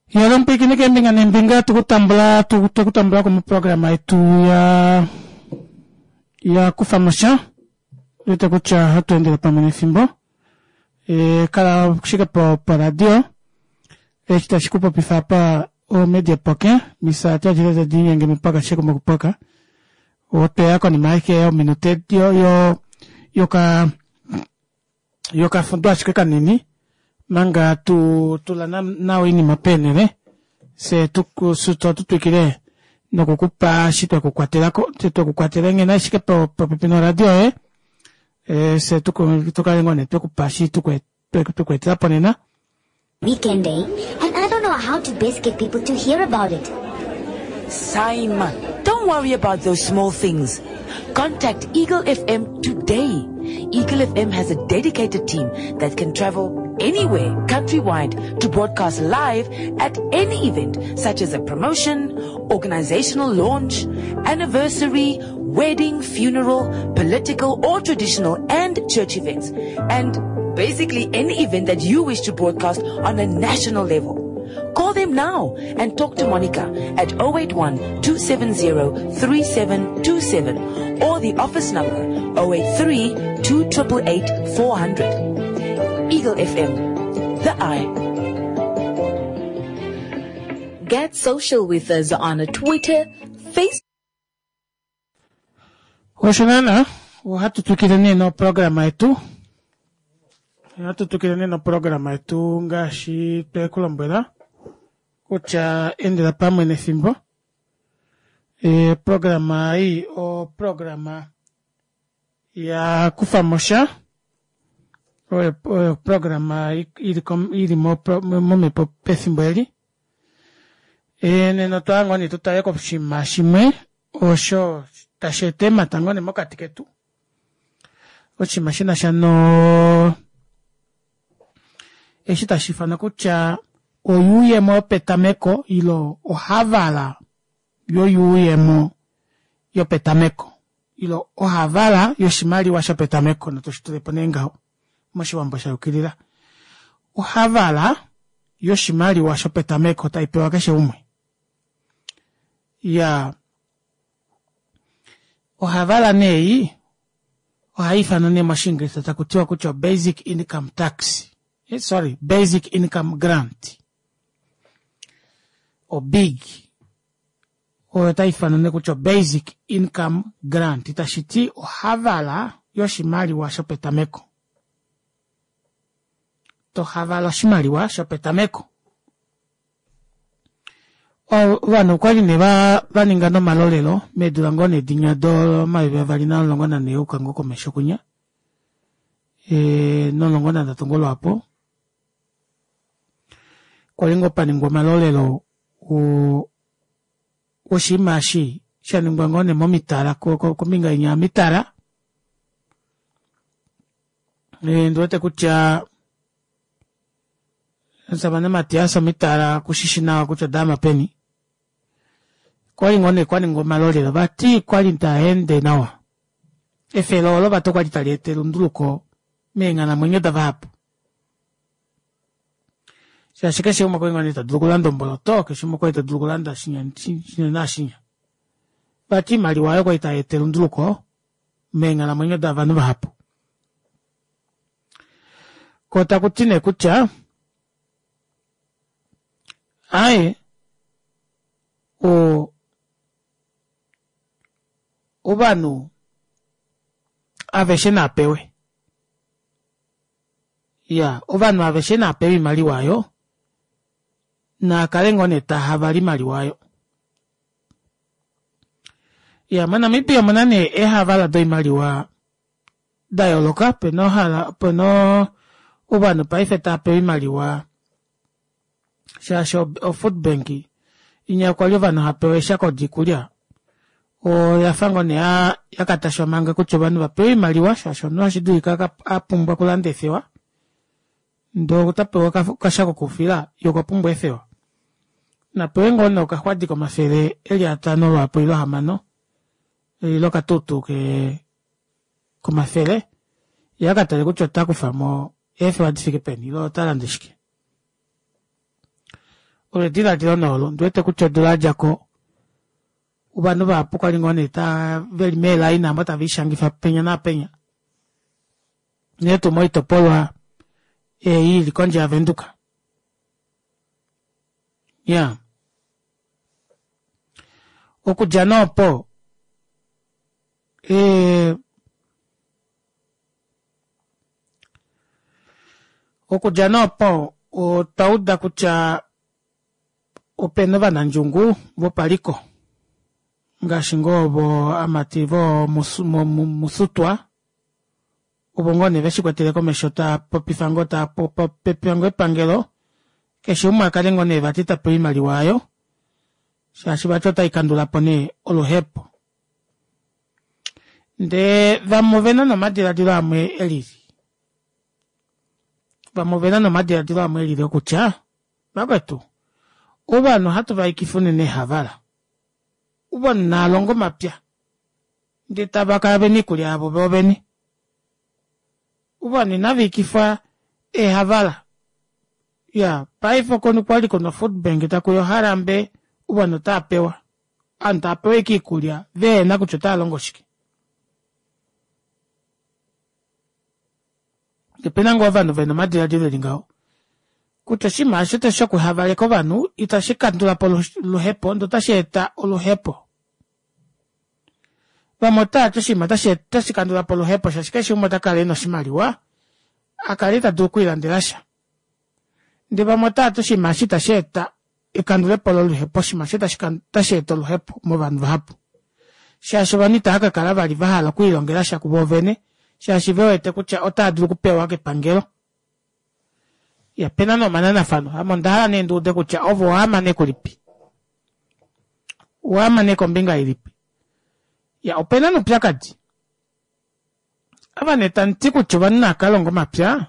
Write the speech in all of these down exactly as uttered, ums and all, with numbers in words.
Yalo mpwiikine keembinga neembinga tukutambula tukutambula komuprograma yetu ya ya kufamosha wete kutya ohatu endele pamwe nefimbo e, kala shike po poradio eshi tashi kupopifa apa omedia poke misaati adjile tadiinyenge mipaka shike mokupoka otweya konima ashike yominute yo yo yoka yokafudo ashike kanini manga tu tula nawa oinima peenele fye tutwikile nokukupa eshi twekukwatelako twekukwatela nghene ashike popepi noradio yoye fye tukale ngoo nee twekupa eshi twekweetelapo nena. Weekend day, and I don't know how to best get people to hear about it. Simon, don't worry about those small things. Contact Eagle F M today. Eagle F M has a dedicated team that can travel anywhere countrywide to broadcast live at any event, such as a promotion, organizational launch, anniversary, wedding, funeral, political or traditional and church events, and basically any event that you wish to broadcast on a national level. Call them now and talk to Monica at oh eight one, two seven zero, three seven two seven or the office number oh eight three, two eight eight, four hundred. Eagle F M, the eye. Get social with us on Twitter, Facebook. Osho naana ohatu twikile nee noprograma yetu. Ohatu twikile nee noprograma yetu ngaashi twekulombwela kutya endela pamwe nefimbo. E, programa ei oprograma ya kufamosha. Oyo, oyo programa ili ili momhepo pefimbo eli. E, nena otwa ngoo nee tutale koshinima shimwe osho tashi eta emata ngoo nee mokati ketu. Oshinima shina sha no eshi tashi ifanwa kutya oyuuyemo yopetameko ilo ohavala yoyuuyemo yopetameko ilo ohavala yoshimaliwa shopetameko notoshitulepo nee ngaho moshiwambo sha yukilila. Ohavala yoshimaliwa shopetameko tai pewa keshe umwe. Ya ohavala nee ohai ifanwa nee moshiingilisha taku tiwa kutya basic income tax. Eh, sorry, basic income grant. O big. Oyo tai ifanwa nee kutya basic income grant. Tashi ti ohavala yoshimaliwa shopetameko. To havala oshimaliwa shopetameko. Ovanhu okwali nee va ninga nomalolelo meedula ngoo nee dinya domayovi avali namulongo nanhee uka ngoo komesho kunya. E, nomulongo nanhatu ngoo lwaapo. Kwali ngoo paningwa omalolelo oshinima eshi sha ningwa ngoo nee momitala kombinga inya yomitala. E, ndiwete kutya omusamane Matias omitala kushishi nawa kutya odama peni. Kwali ngoo nee kwaningwa omalolelo vati kwali taende nawa. Efelo olo vati okwali tali eta elunduluko meenghalamwenyo davahapu. Shaashi keshe umwe kwali ngoo nee ta dulu okulanda omboloto, keshe umwe kwali ta dulu okulanda shinya shinya nashinya. Vati imaliwa oyo kwali tai eta elunduluko meenghalamwenyo davanhu vahapu. Ko taku ti nee kutya aye o ovanhu aveshe napewe. Ya, ovanhu aveshe napewe imaliwa ayo nakale ngoo nee tahavala imaliwa ayo. Ya, moNamibia omuna nee ehavala doimaliwa da yooloka. Pena ohala, pena ovanhu paife tava imaliwa shaashi o food bank inya kwali ovanhu hapewa eeshako diikulya oya fa ngoo nee yakatashwa manga kutya ovanhu vapewe oimaliwa shaashi omunhu ohashi dulika a pumbwa okulanda eefewa ndee ota pewa okashako koufila ye okwa pumbwa eefewa. Napewe ngoo nee okaxwadi komafele eli atano lwaapo ile ahamano ile okatutu komafele ye akatale kutya ota kufamo eefewa difike peni ile ota lande shike. Olo ediladilo nee olo ondiwete kutya odula yadjako ovanhu vahapu kwali ngoo nee taa veli meelaina aamo taviishangifa penya naapenya unene tuu moitopolwa ei ili kondje ya Venduka. Iyaa okudja nee opo ee okudja nee opo otwauda kutya opena ovanandjungu vopaliko ngaashi ngoo ovo amati voo musutwa ovo ngoo nee veshikwetele komesho taapopifa ngoo taapopifa ngoo epangelo keshe umwe akale ngoo nee vati tapewa oimaliwa aayo shaashi vati otaikandulapo nee oluhepo. Ndee vamwe ovena nee omadilaadilo amwe elili, vamwe ovena nee omadilaadilo amwe elili okutya vakwetu ovanhu ohatu vaikifa unene eehavala, ovanhu naalonge omapya ndee tavakala vena oikulya yavo voovene, ovanhu inaviikifwa eehavala iyaa paife okwali kuna o foodbank takuya oharambe ovanhu otaapewa ovanhu taapewa ashike oikulya vehena kutya otaalongo shike. Opena ngoo ovanhu vena omadilaadilo eli ngaho kutya oshinima aasho shoku havaleka ovanhu ita shikandulapo oluhepo ndee ota sheeta oluhepo. Vamwe otaati oshinima ota shikandulapo oluhepo shaashi keshe umwe otakala ena oshimaliwa akale tadulu okwiilandelasha ndee vamwe otaati oshinima eshi ita sheeta ekandulepo loluhepo oshinima eshi ota sheeta oluhepo movanhu vahapu shaashi ovanhu itaakakala vali vahala okwiilongelasha kuvoovene shaashi vewete kutya otaadulu okupewa kepangelo. Iya opena nee omananafano ame ondahala nee nduude kutya ove owaama nee kulipi, owaama nee kombinga ilipi. Iya opena nee oupyakadi ava nee tamuti kutya ovanhu naakalonge omapya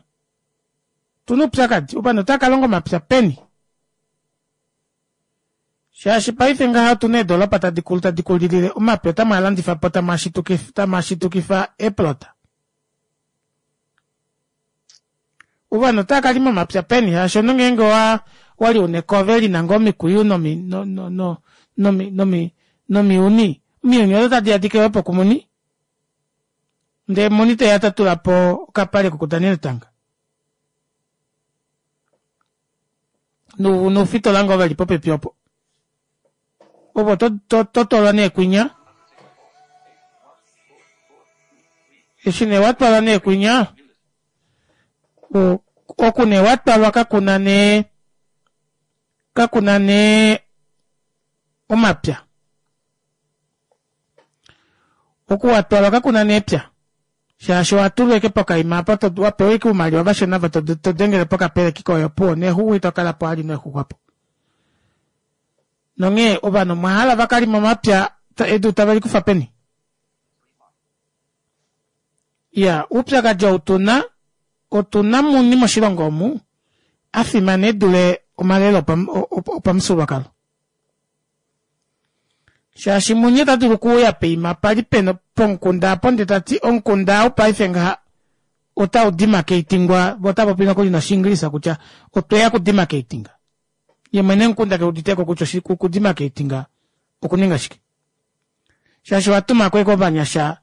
otuna oupyakadi ovanhu otaakalonga omapya peni shaashi paife ngaha otuna eedoropa tadi kulu tadi kulilile omapya otamwaalandifapo tamwaashitukifa eeplota. Ovanhu otaakalima omapya peni shaashi omunhu ngeenge owa owali una ekove lina ngoo omikwiyu nomi no no nomi nomi nomiyuni, omiyuni odo tadiya dikewepo kumuni ndee muni teya tatulapo okapale kokudanena etanga noufitola ngoo veli popepi opo ovo totwalwa nee kwinya eshi nee watwalwa nee kwinya oku nee watwalwa kakuna nee kakuna nee omapya, oku watwalwa kakuna nee epya shaashi owatulwa ashike pokaima apa wapewa ashike oumaliwa vashona ava todengele pokapeleki koye opuwo neexuxwa itokalapo vali neexuxwa opo. Nonghee ovanhu omwahala vakalime omapya edu tavelikufa peni? Iyaa oupyakadi ou tuna otuna muni moshilongo omu afimana edule omalelo opamufyuululwakalo shaashi muni ota dulu okuuya poima pali pena pomukunda aapo ndee tati omukunda ou paife ngaha otau demarcatingwa voo otavapopi nokuli noshiingilisa kutya otweya oku demarcatinga yee mwene womukunda keuditeko kutya oku demarcatinga okuninga shike shaashi owatumako ashike ovanyasha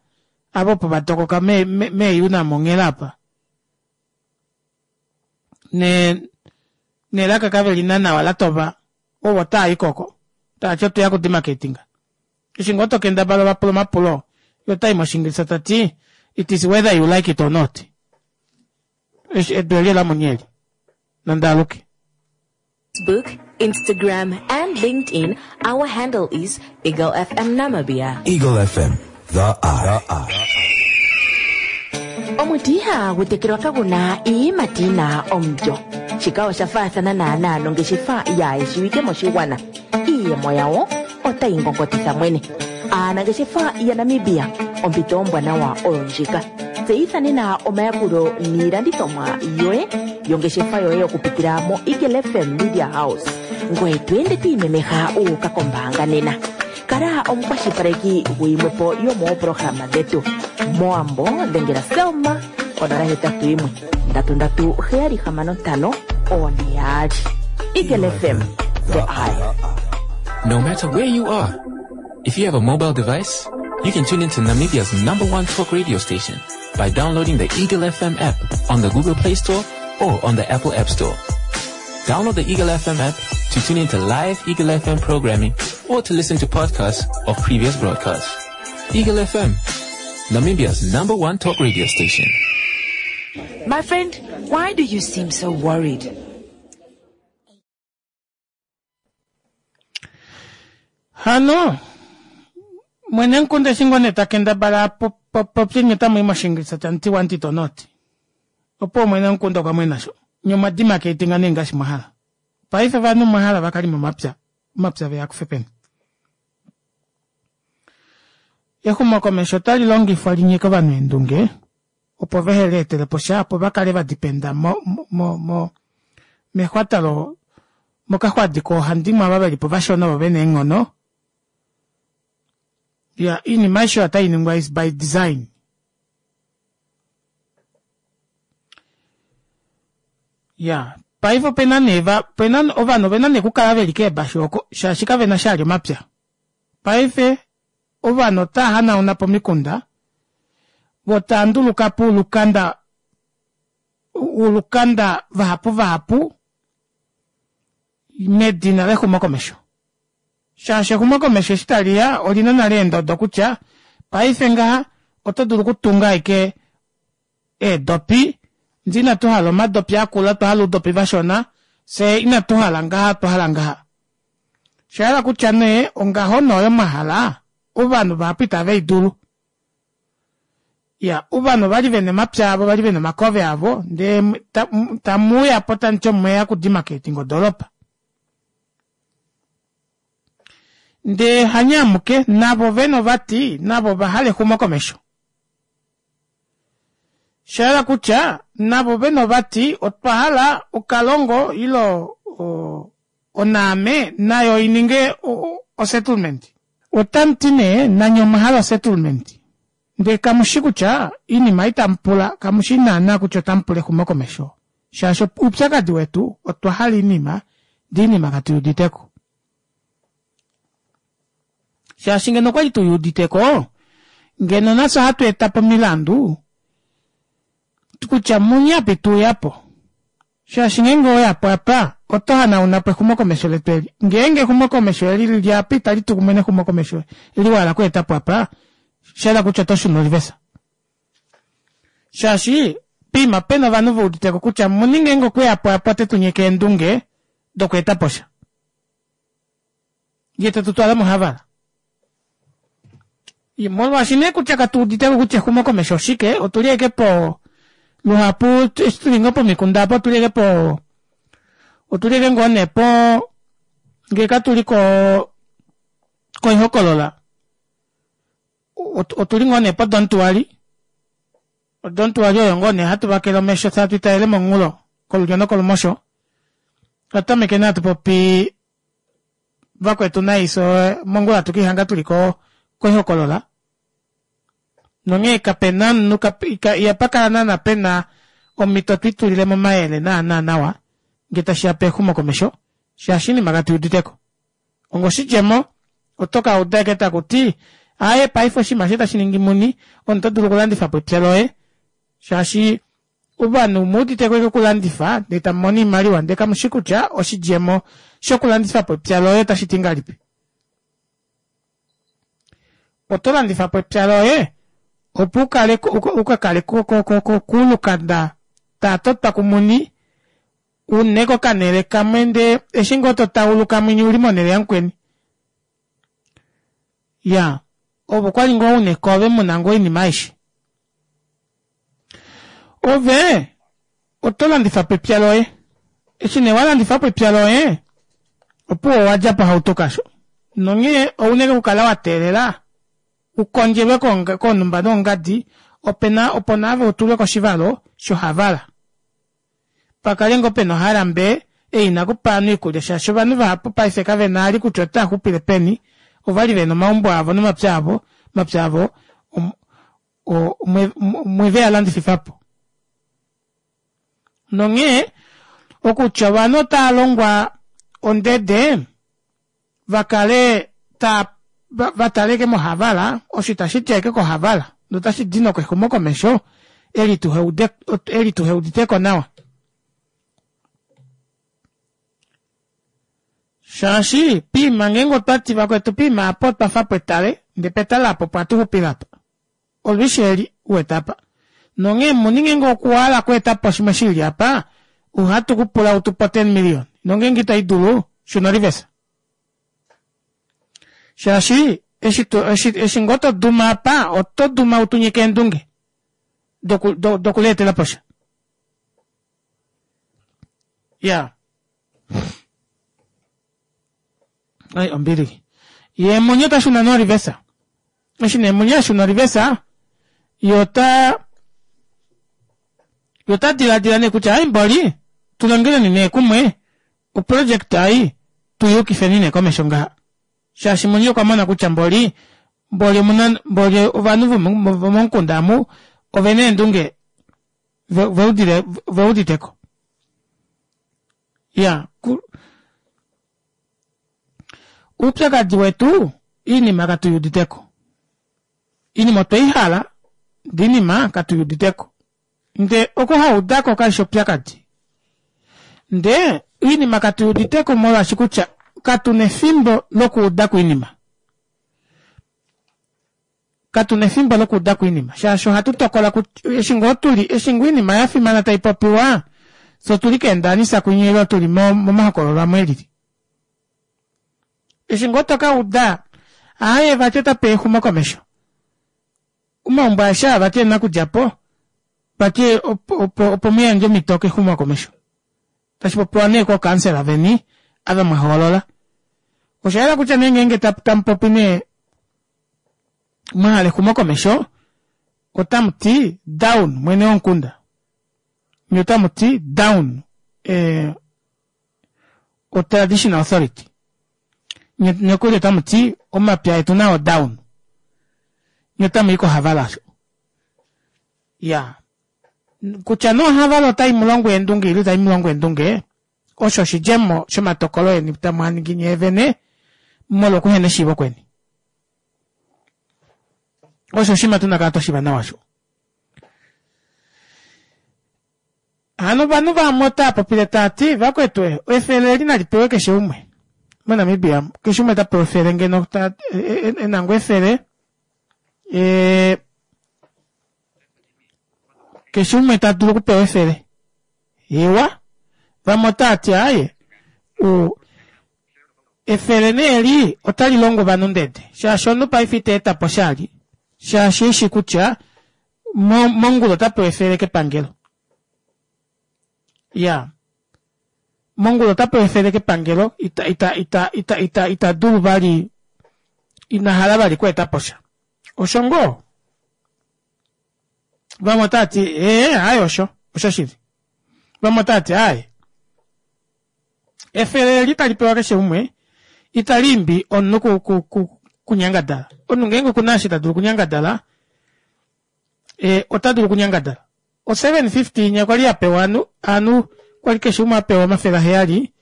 ava opo vatokoka mee Unam onghela apa ne nelaka kavelina nawa latova ovo otaayiko oko taati otweya oku demarcatinga eshi ngoo tokendabala ovapula omapulo yee otayi moshingilisa tati it is whether you like it or not edu eli olamuni eli nandaaluke. Facebook, Instagram, and LinkedIn, our handle is Eagle F M Namibia. Eagle F M, the eye. Omuti ihagu tekelwa kagu na iiyimati yi na omulyo. Shika osha faathana naanaa nongeshefa yaayeshiwike moshigwana. Iiyemo yawo otayi ngongotitha mwene. Aanangeshefa yaNamibia, ompito ombwanawa oyo ndjika. Tseyitha nena omayakulo niilandithomwa yoye yongeshefa yoye okupitila mo Eagle F M Media House. Ngoye to ende to imemeha u uka kombaanga nena. Kala omukwashilipaleki guyimwe po yomooprograma dhetu. Moambo dhengela Selma onola hetatu yimwe ndatu ndatu heyali hamano ntano one yaali. Eagle F M, The Eye. No matter where you are, if you have a mobile device, you can tune into Namibia's number one talk radio station by downloading the Eagle F M app on the Google Play Store or on the Apple App Store. Download the Eagle F M app to tune into live Eagle F M programming or to listen to podcasts of previous broadcasts. Eagle F M, Namibia's number one talk radio station. My friend, why do you seem so worried? Hano, mwene nkunde shingone takenda bala popye nyota mwi moshingilisa tanti wanti tonoti. Opo mwene nkunde kwa mwena sho. Nyoma dima ke itinga nenga shimohala. Paife vanu mwahala vakali momapya. Mapya veya kufepeni. Exumokomesho otali longifwa linyike ovanhu eendunge, opo vehe lietele po sha, opo va kale va dipenda mo, mo, mo, mexwata lo, mokaxwadi koohandimwe ava veli po vashona ovo vena eenghono. Ya, iinima aishe otai ningwa is by design. Ya, paife opena nee va, opena ovanhu ovena nee okukala veli keebashu oko, shaashi kavena sha ali omapya. Paife ovanhu otava hanauna po omikunda, vo tava nduluka po ulukanda, ulukanda vahapu vahapu medina lexumokomesho. Shaashi exumokomesho eshi tali ya olina nale eendodo kutya paife ngaha oto dulu okutunga ashike eedopi, ndee inatu hala omadopi akula, twa hala oudopi vashona, fye inatu hala ngaha, twa hala ngaha. Osha hala kutya nee ongaho noyo mwahala ovanhu vahapu itave i dulu. Ya, ovanhu ovali vena omapya avo, vali vena omakove avo, ndee tamuuya po tamuti omweya kudimarcating odoropa. Ndee hanyamuke navo vena ovati, navo ovahala exumokomesho. Osha hala kutya navo vena ovati otwa hala okalongo ilo onaame nayo ininge osettlement. Otamuti nee nanye omwahala osettlement. Ndee kamushi kutya iinima itamupula, kamushi naana kutya otamupula exumokomesho. Shaashi oupyakadi wetu otwa hala iinima, ndee iinima katuuditeko. Shaashi ngeno okwali tuyuuditeko, ngeno nafye ohatu eta po omilandu kutya munyapi tuyapo. Shaashi ngeenge oyapo apa, oto hanauna po exumokomesho letu eli. Ngeenge exumokomesho eli lili apa itali tu kumwe nexumokomesho eli wala okweeta po apa, osha kutya oto shuna olivesa. Shaashi pima pena ovanhu veuditeko kutya muni ngeenge okweyapo apa ote tu nyeke eendunge dokweeta po sha. Ye te tu twala mohavala. Molwaashi nee kutya katuuditeko kutya exumokomesho oshike, otuli eke po luhapu eshi tuli ngoo pomikunda apo otuli eke po, otuli eke ngoo nee po, ngee katuli ko, koihokolola, otuli ngoo nee po dontuali. Odontuali oyo ngoo nee hatu vakele omesho, fye hatu italele monghulo, kolulyo nokolumosho. Twatameke nee hatu popi vakwetu naiso mongula hatu kiihanga tuli ko, koihokolola. Nonghee kapena omunhu, ihapa kala naana pena omhito twitulile momayele naana nawa ngee tashiya pexumokomesho, shaashi iinima katuuditeko. Ongoshidjemo oto ka uda eke taku ti aaye paife oshinima eshi tashi ningi muni, omuntu oto dulu okulandifa po epya loye, shaashi ovanhu muuditeko eke okulandifa ndee tamu mono oimaliwa, ndee kamushi kutya oshidjemo shokulandifa po epya loye otashi ti ngahelipi. Oto landifa po epya loye opo ukale ukakale kuulukanda taatotwa kumuni une kokanele kamwe, ndee eshi ngoo to tauluka mwinyi uli monele yamukweni. Ya, ovo kwali ngoo une kove muna ngoo oinima aishe. Ove oto landifa po epya loye. Eshi nee walandifa po epya loye, opuwo owadja po hauto kasho. Nonghee ounene okukala wa teelela ukondjelwe koonumba noongadi, opena opo naave utulwe koshivalo shohavala. Pakale ngoo pena ohalambe ei inakupa ovanhu iikulya, shaashi ovanhu vahapu paife kavena ali kutya otava xupile peni, ovali vena omaumbo avo nomapya avo, omapya avo omweve a landififa po. Nonghee okutya ovanhu otava longwa ondede vakale ta vataleke mohavala osho itashi ti ashike kohavala notashi di nokexumokomesho eli tuheude eli tuheuditeko nawa shaashi piima ngeenge otwati vakwetu piima apo otwafa pwetale ndee petale apo opo hatuxupile apa olwishi eli uwete apa nonghee muni ngeenge okwahala okweetapo shimwe shili apa ohatu kupula utupe ten million nongeenge ito idulu shuna orivesa shaashi eshi to eshi eshi ngoo toduma apa oto duma utunyike eendunge doku dokuleetelaposha ya ai ombili yee muni otashuna nee orivesa eshi nee muni ashuna orivesa yee ota ye ota dilaadila nee kutya ai mboli tulongeleni nee kumwe oproject ei tuyukifeni nee komesho ngaha shaashi muni okwa mona kutya mboli mboli omuna mboli ovanhu vomomukunda amu ovena eendunge veudile veuditeko ya oupyakadi wetu oinima katuyuuditeko oinima otweihala ndee oinima katuyuuditeko ndee okuhaudako kaifi oupyakadi ndee oinima katuyuuditeko molwaashi kutya katuna efimbo lokuudako oinima katuna efimbo lokuudako oinima shaashi ohatu tokola kutya eshi ngoo tuli eshi ngoo oinima yafimana taipopiwa fyee otuli keendanisa kwinya ile tuli momahokololo amwe elili eshi ngoo tokauda aaye vati otapeya exumokomesho omaumbo aeshe aa vati ena okudjapo vati opo opo muyandje omito kexumokomesho tashipopiwa nee kookansela veni ava mwahoolola oshayela kutya nee ngeenge tamupopi nee mwahala exumokomesho otamuti down mwene womukunda nye otamuti down ee o traditional authority nye nokuli otamuti omapya etu nao down nye otamuyi kohavala osho ya kutya nee ohavala otai mulongo eendunge ile itai mulongo eendunge osho oshidjemo shomatokolo eni tamuaningi nyee vene molwa okuhena eshiivo kweni osho oshinima tuna kala twashiiva nawa osho hano ovanhu vamwe otava popile taati vakwetu efele eli nali pewe keshe umwe moNamibia keshe umwe ota pewa efele ngeno ta ena ngoo efele ee keshe umwe ta dulu okupewa efele iwa vamwe otavati aaye efele nee eli otali longo ovanhu ndede shaashi omunhu paife ita etapo oshali shaashi eshi kutya mongula ota pewa efele kepangelo iya mongula ota pewa efele kepangelo ita ita ita ita ita ita dulu vali ina hala vali okweetaposha osho ngoo vamwe otavati ee aaye osho oshoshili vamwe otavati aaye efele eli tali pewa keshe umwe italiimbi omunhu ku ku ku kunyangadala omunhu ngeenge okuna eshi ta dulu okunyangadala ee ota dulu okunyangadala o seven fifty inya kwali yapewa ovanhu ovanhu kwali keshe umwe apewa omafele aheyali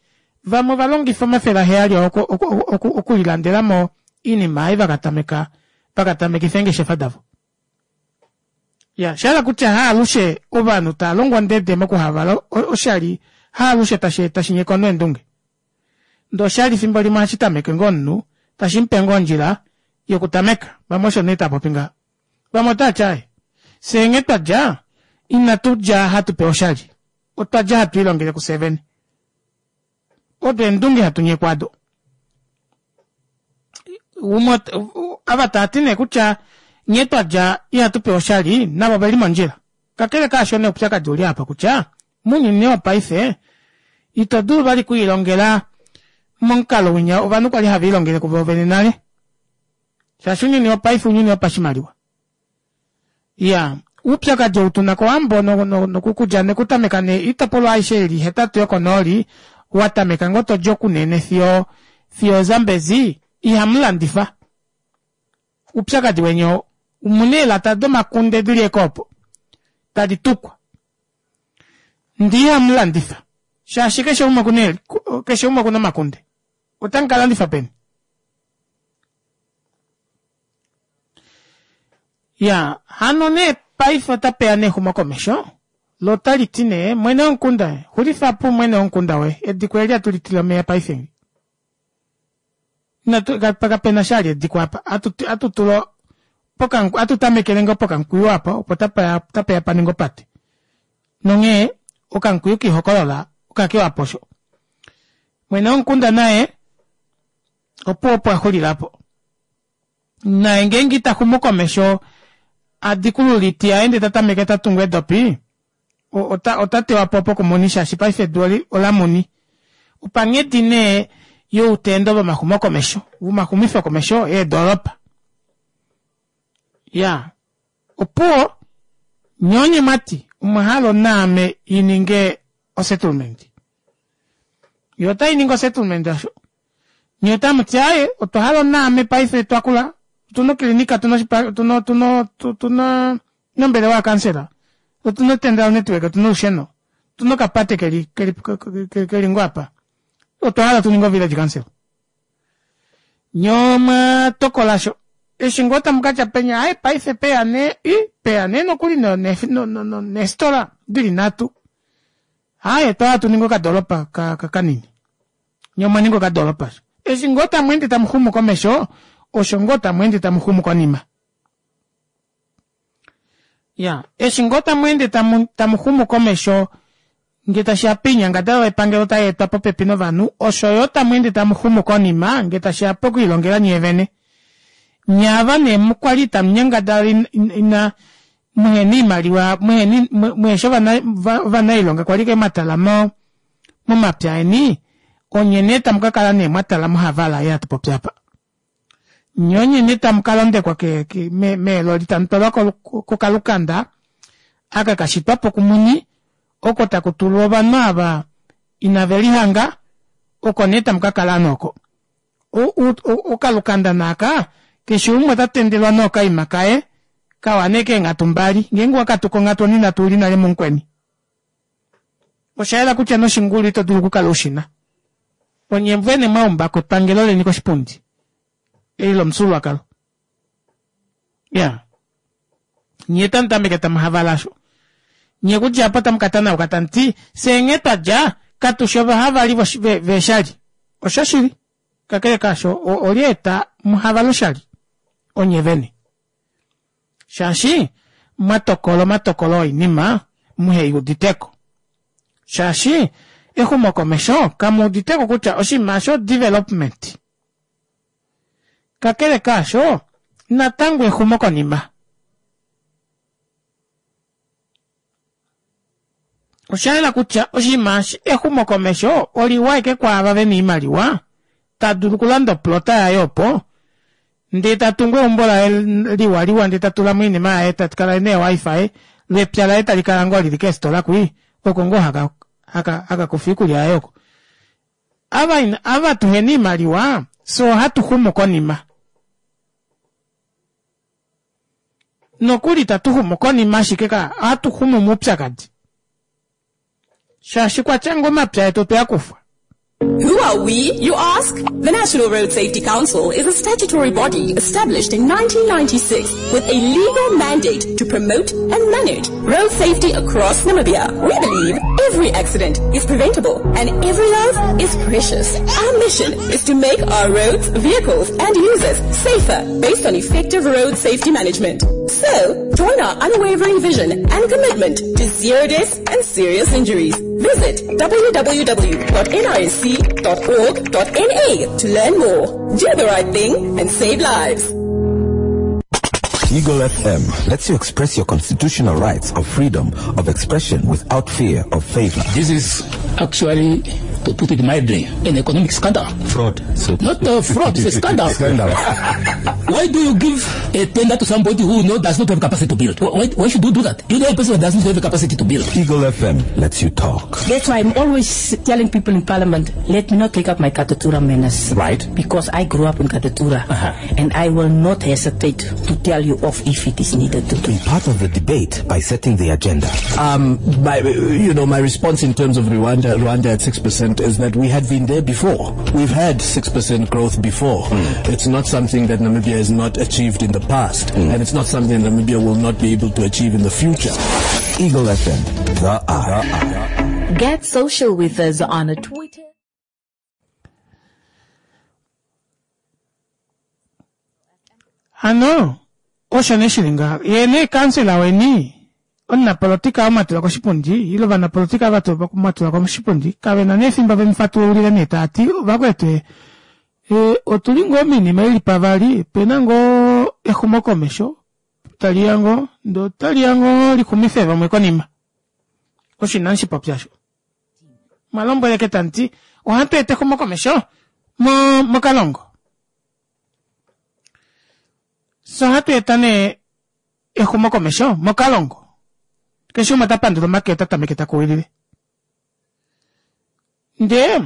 vamwe ovalongifa omafele aheyali oo okulilandelamo oinima ei vakatameka vakatamekifa eengeshefa davo ya shahala kutya haalushe ovanhu tava longwa ondede mokuhavala oshali haalushe tashi tashi nyeka omunhu eendunge ndee oshali efimbo limwe ohashi tameke ngoo omunhu tashi mupe ngoo ondjila yokutameka vamwe osho nee taapopi ngaha vamwe otaati aaye fyee nghee twadja inatu dja hatu pewa oshali otwadja hatu ilongele kufye vene odo eendunge hatu nyekwa ado umwe ava taati nee kutya nghee twadja ihatu pewa oshali navo oveli mondjila kakele kaasho nee oupyakadi ouli apa kutya mounyuni wopaife ito dulu vali okwiilongela momukalo winya ovanhu kwali have ilongele kuvo vene nale shaashi ounyuni wopaife ounyuni wopashimaliwa iya oupyakadi ou tuna kowambo nokukudja nekutameka nee oitopolwa aishe ili hetatu yokonooli watameka ngoo todi okunene fiyo fiyo Zambezi ihamulandifa oupyakadi weni oo omuna eelata domakunde dili eke opo tadi tukwa ndee ihamulandifa Shaashi keshe umwe okuna keshe umwe okuna omakunde. Otamu ka landifa peni? Ya, hano nee paife otapeya nee exumokomesho lo otali ti nee mwene womukunda xulifa po mwene womukunda woye ediko eli hatu litile omeva paife inatu kapena sha ali ediko apa atu tula atu tamekele ngoo pokamukwiyu apa opo tapeya paninge opate nonghee okamukwiyu kiihokolola okakewapo osho. Mwene womukunda naye opo opo axulilapo naye ngeenge itaxumu komesho adikulula oiti yaye ndee tatameke tatungu eedopi ota tewapo opo kumuni shaashi paife edu olamuni. Opanghedi nee youtendo vomaxumokomesho vomaxumifo komesho eedoropa. Ya opuwo nyee onye mwati omwahala onaame ininge osettlement. Yo otainingi osettlement osho. Nyee otamuti aaye otwa hala onaame paife twakula otuna okilinika otuna otuna otuna ombelewa yakansela otuna otendral network otuna olusheno otuna okapate keli keli keli ngoo apa otwa hala tuninge o village council. Nyee omwatokola sho eshi ngoo tamukatya penya aaye paife peya nee i peya nee nokuli neefitola dili nhatu aaye otwa hala tuninge okadoropa kanini nyee omwaninga okadoropa eshi ngoo tamweende tamuxumu komesho osho ngoo tamweende tamuxumu konima. Ya eshi ngoo tamweende tamuxumu komesho ngee tashiya poinyangadalwa yepangelo tayeetwa popepi novanhu osho yoo tamweende tamuxumu konima ngee tashiya pokwiilongela nyee vene. Nyee ava nee kwali itamunyangadala ina muhena oimaliwa muheshi ovanailonga kwali ashike mwatala momapya eni onye nee tamukakala nee mwatala mohavala ei hatupopi aapa. Nyee onye nee tamukalondekwa meeloli tamutwalwa kokalukanda aka kashitwapo kumuni oko takutulwa ovanhu ava inavelihanga oko nee tamukakala ovanhu oko. Okalukanda naaka keshe umwe otatendelwa nee okaima kaye kawa nee keenghatu mbali ngeenge owakatuka onghatu onhinatu ouli nale mumukweni. Oshayela kutya noshingulu ito dulu okukala ushina. Onye vene mwaumbako epangelo leni koshipundi eli lomufyuululwakalo. Iya nyee tamutameke tamuhavala aasho. Nyee okudja aapo otamukatanauka tamuti fyee nghee twadja katushi ovahavali veeshali. Oshoshili kakele kaasho olyeeta muhavale oshali onye vene shaashi mwatokola omatokolo oinima muheyuuditeko shaashi exumokomesho kamuuditeko kutya oshinima aasho development. Kakele kaasho natango exumokonima. Oshayela kutya oshinima eshi exumokomesho oliwa ashike kwaava vena oimaliwa tadulu okulanda oplota yaye opo ndee tatungu eumbo laye liwa liwa ndee tatulamo oinima yaye takala ena ee wifi loo epya laye talikala ngoo lili keefitola kwii oko ngoo haka hakakufa oikulya yaye oko. Ava ava tuhena oimaliwa fyee ohatu xumu konima. Nokuli itatu xumu konima ashike ohatu xumu moupyakadi shaashi kwatya ngoo omapya etu otwe akufwa. Who are we, you ask? The National Road Safety Council is a statutory body established in nineteen ninety-six with a legal mandate to promote and manage road safety across Namibia. We believe every accident is preventable and every life is precious. Our mission is to make our roads, vehicles and users safer based on effective road safety management. So, join our unwavering vision and commitment to zero deaths and serious injuries. Visit w w w dot n r s c dot org dot n a to learn more. Do the right thing and save lives. Eagle F M lets you express your constitutional rights of freedom of expression without fear of favor. This is actually To put it mildly, an economic scandal. Fraud. So Not a fraud, it's a scandal. Scandal. Why do you give a tender to somebody who know does not have capacity to build? Why, why should you do that? You know a person who does not have the capacity to build. Eagle F M lets you talk. That's why I'm always telling people in Parliament, let me not take up my Katutura manners. Right. Because I grew up in Katutura. Uh-huh. And I will not hesitate to tell you off if it is needed to. Be part of the debate by setting the agenda. Um, my, you know, my response in terms of Rwanda, Rwanda at six percent is that we had been there before. We've had six percent growth before. Mm. It's not something that Namibia has not achieved in the past, mm. and it's not something Namibia will not be able to achieve in the future. Eagle F M, the eye. Get social with us on Twitter. Hano, osho nee shili ngaha. Ye nee kansela weni, omunapolitika omatulwa koshipundi, ile ovanapolitika vatulwa koshipundi, kave na nee efimbo vemufatululile nee taati, vakwetu, e, otuli ngoo minima ili pavali, pena ngoo exumokomesho, taliya ngoo, ndo taliya ngoo lixumife vamwe konima. Osho inashi popya sho. Malombweleke tanti, ohatu eta exumokomesho mo, mokalongo. So ohatu eta nee exumokomesho mokalongo. Keshe umwe ta pandula omake ota tameke ta kuwilile. Ndee,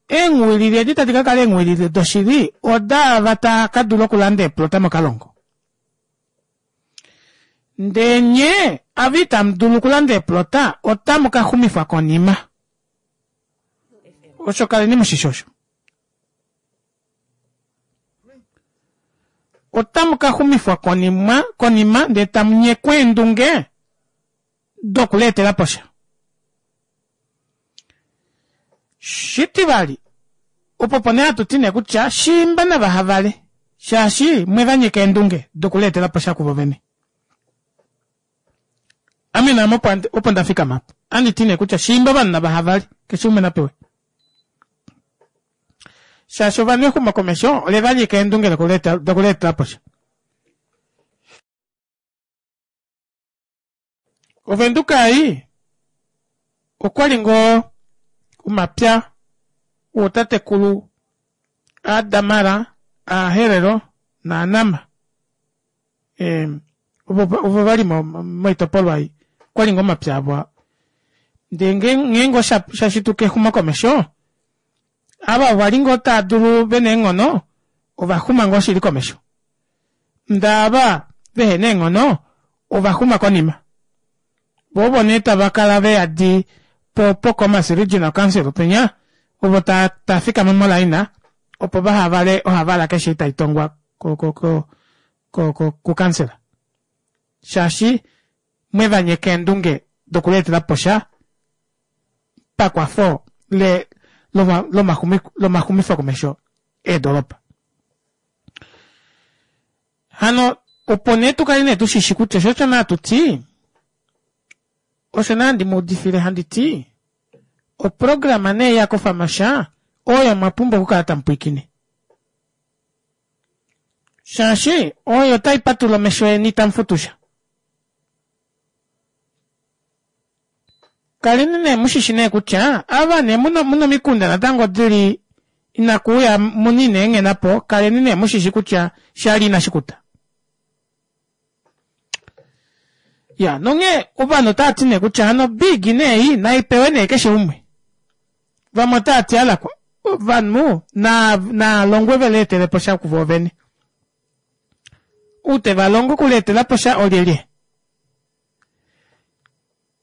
eenghuwilile edi tadi ka kala eenghuwilile doshili, odaava ta ka dula okulanda eeplota mokalongo. Ndee nye, ava itamu dulu okulanda eeplota, otamu ka xumifwa konima. Osho kaleni mushishi osho. Otamu ka xumifwa konima, konima, ndee tamu nyekwa eendunge dokuleetela posha. Shitivali, opo pone hatu ti nee kutya shimba navahavale, shaashi mwe va nyeka eendunge dokuleetela posha kuvo vene. Ame naame opo nda fikama apa. Andi ti nee kutya shimba ovanhu navahavale, keshe umwe napewe. Shaashi ovanhu exumokomesho ole va nyeka eendunge dokuleetela posha. Ovenduka ei okwali ngoo omapya wootatekulu aadamara, aaherero naanama. E, ovo vali moitopolwa ei okwali ngoo omapya avo. Ndee ngeenge oshashituka exumokomesho, ava vali ngoo taa dulu vena eenghono, ovaxuma ngoo shili komesho. Ndee ava vehena eenghono, ovaxuma konima. Vovo nee tava kala veyadi po Pokomas Regional Council penya, ovo ta ta fikama molaina opo vahavale ohavala keshe itai tongwa ko ko ko ko ko ku kansela. Shaashi mwe va nyeka eendunge dokuleetela posha pakwafo le lomaxumifo komesho eedoropa. Hano opo nee tukale nee tushishi kutya sho osho naa tuti, osho naa ndi muudifile handi ti, oprograma nee ya kofamasha oyo mwa pumbwa okukala tamu pwiikine. Shaashi oyo tai patula omesho eni tamu futusha. Kaleni nee mushishi nee kutya ava nee muno muno mikunda natango dili inakuuya muni neenghena po, kaleni nee mushishi kutya shali inashi kuta. Ya, nonge ovanhu otava ti nee kutya hano big nee naipewe nee keshe umwe. Vamwe otava ti alakwa ovanhu na naalongwe veleetele po sha kuvo vene. Ute valongo okuleetela po sha olyelye.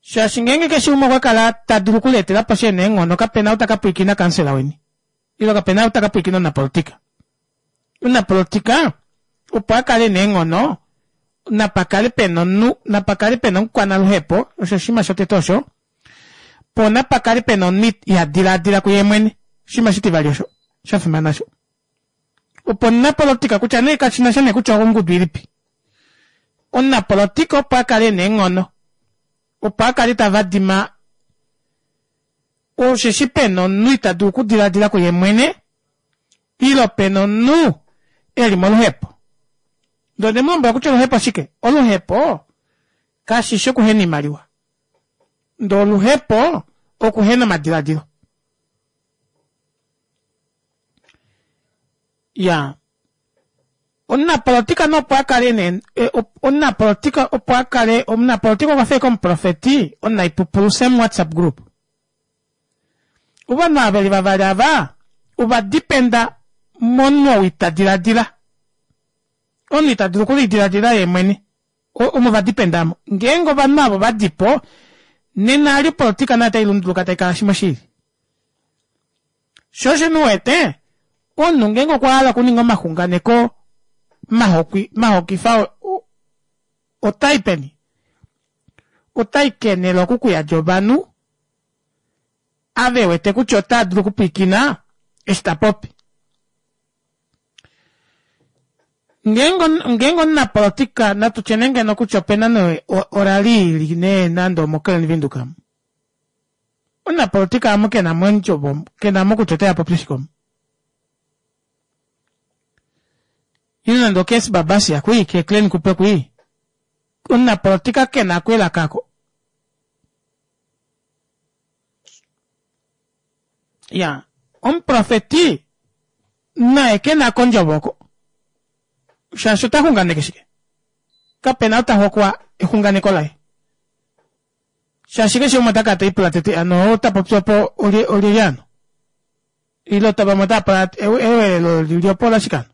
Shaashi ngeenge keshe umwe okwa kala ta dulu okuleetela po sha neenghono, kapena ou taka pwiikina kansela weni. Ile kapena ou taka pwiikina omunapolitika. Omunapolitika opo a kale neenghono, napakale pena omunhu, napakale pena omukwanaluhepo, osho oshinima shotete osho. Po napakale pena omunhu iha dilaadila kuye mwene, oshinima shitivali osho, sha fimana osho. Opo omunapolitika kutya nee kashina sha nee kutya ongudu ilipi. Omunapolitika opo a kale neenghono, opo a kale tava dima, osheshi pena omunhu ita dulu okudilaadila kuye mwene, ile pena omunhu eli moluhepo. Ndo ne mulombwela kutya oluhepo shike? Oluhepo kashishi okuhena iimaliwa. Ndo oluhepo okuhena omadiladilo. Ya. Omunapolitika nopo a kale ne, omunapolitika opo a kale, omunapolitika okwa fa omuprofeti omunaipupulu same WhatsApp group. Ovanhu ava veli vavali ava, ova dipenda momunhu ou ita diladila. Omunhu ita dulu okulidiladila ye mwene. Omo va dipendamo. Ngeenge ovanhu avo va dipo, nena ali politika nayo otai lunduluka tai kala shimwe shili. Sho osho nuwete, omunhu ngeenge okwa hala okuninga omaxunganeko mahokwi, mahokifa otai peni? Otai kenele oku kuyadja ovanhu ave wete kutya otaa dulu okupwiikina eshi ta popi. Ngeenge ngeenge omunapolitika natu tye nee ngeno kutya opena nee orali ili nee nande omoKellen Windhoek amu. Omunapolitika amu kena mo ondjovo, kena mo kutya oteya popye shike omu. Ile nande oKes Babasia kui, ke Klein Kupe kui. Omunapolitika kena ko elaka ako. Ya, omuprofeti naye kena ko ondjovo oko. Shaashi ota xunganeke shike? Kapena ota hokwa exunganeko laye. Shaashi keshe umwe ota kala te lipula tete ano ota popi opo olye olyelye ano. Ile ota vamwe otava pula ewelelo lili opo olashike ano.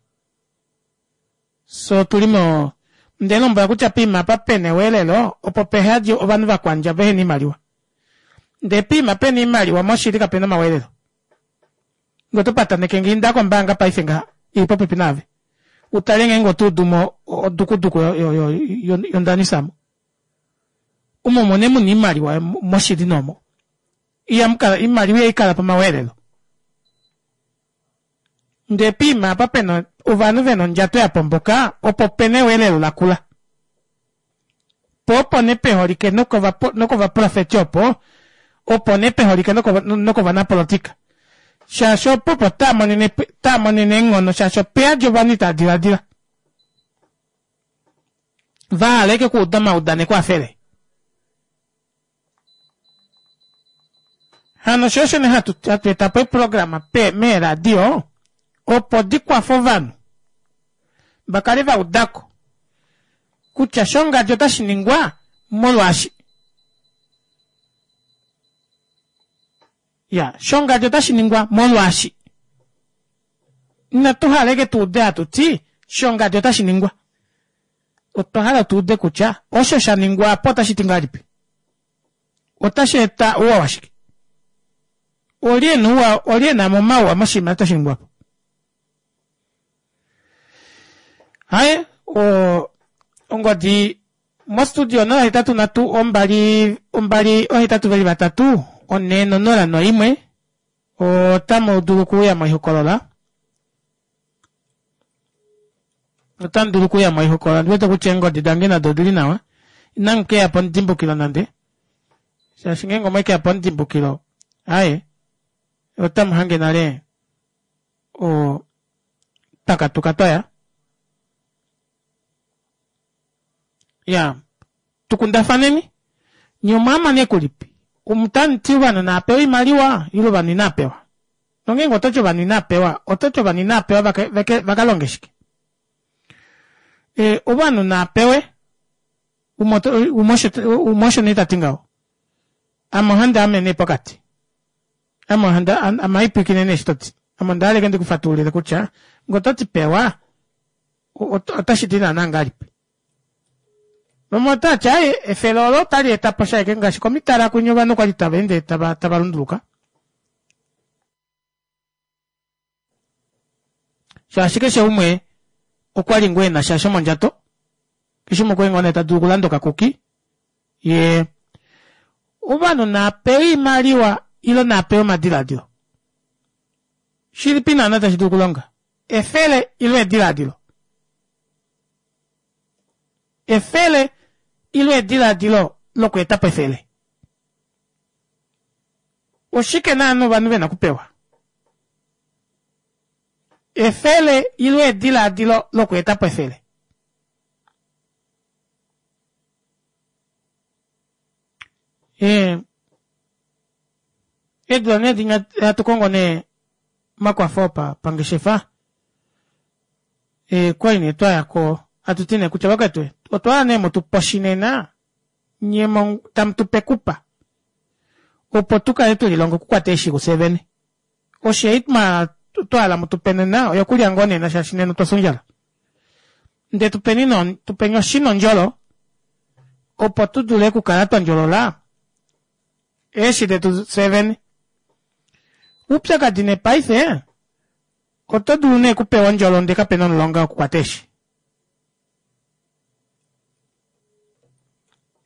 So tuli mo ndele lombwela kutya poima apa pena ewelelo opo pehadi ovanhu vakwandja vehena oimaliwa. Ndele poima pena oimaliwa moshili kapena omawelelo. Ngee oto pataneke nge inda kombaanga paife ngaha ili popepi naave. Utale ngeenge oto udu mo odukuduku yondanisamo. Omo mone muna oimaliwa moshili nomo. Ihamukala oimaliwa ihaikala pomawelelo. Ndele poima apa pena ovanhu vena ondjato ya pomboka opo pena ewelelo lakula. Po opo nee peholike nokovaprofeti opo, opo nee peholike nokovanapolitika. Shaashi opo opo taa monene taa monene eenghono shaashi opeyadi ovanhu itava diladila. Vahala ashike okuuda omaudaneko afele. Hano sho osho nee hatu hatu eta po eeprograma pe meeradio opo dikwafe ovanhu vakale vaudako kutya shongadi otashi ningwa molwaashi. Ya, shongadi otashi ningwa molwaashi. Inatu hala ashike tuude hatu ti shongadi otashi ningwa. Otwa hala tuude kutya osho sha ningwa apo otashi ti ngahelipi. Otashi eta ouwa washike. Olye ena ouwa, olye ena mo omauwa moshinima tashi ningwa po. Haye, o ongodi mostudio onola hetatu nhatu ombali ombali ohetatu veli vatatu one nonola noimwe otamu dulu okuuya moihokolola. Otamu dulu okuuya moihokolola. Ndiwete kutya eengodi dange nado odili nawa. Inamu keya pomudimbukilo nande. Shaashi ngeenge omwekeya pomudimbukilo, aye, otamu hange nale o twakatuka twaya. Ya, tukundafaneni. Nye omwaama nee kulipi? Omutanti ovanhu naapewa oimaliwa ile ovanhu inaapewa? Nongeenge ototi ovanhu inaapewa, ototi ovanhu inaapewa vakalonge shike? E, ovanhu naapewe, umwe osho nee tati ngaho. Ame ohandi ame nee pokati. Ame ohandi ame haipwiikine nee eshi toti. Ame onda hala ashike ndikufatululile kutya ngee ototi pewa, otashi ti naana ngahelipi. Vamwe otavati aaye efele olo otali eta po sha ashike ngaashi komitala kwinya ovanhu kwali tava ende tava tava lunduluka. Shaashi keshe umwe okwali ngoo ena sha shomondjato, keshe umwe okwali ngoo nee ta dulu okulanda okakuki, ye ovanhu naapewe oimaliwa ile naapewe omadiladilo. Shilipi naana tashi dulu okulonga? Efele ile ediladilo? Efele ile ediladilo lokweeta po efele? Oshike naana ovanhu vena okupewa? Efele ile ediladilo lokweeta po efele? Eedula nee dinya hatu kongo nee omakwafo pangeshefa. Okwali nee twayako hatuti nee kutya vakwetu otwahala nee mutupe oshinena nyee tamutupe ekupa opo tukale twelilonga okukwata eeshi kufye vene. Oshi ei twahala mutupe nena oyokulya ngoo nena shaashi nena otwafya ondjala. Ndee tupeni nee tupeni oshi nondjolo opo tudule okukala twandjolola eeshi detu fyee vene. Oupyakadi nee paife oto dulu nee okupewa ondjolo ndee kapena omulonga wokukwata eeshi.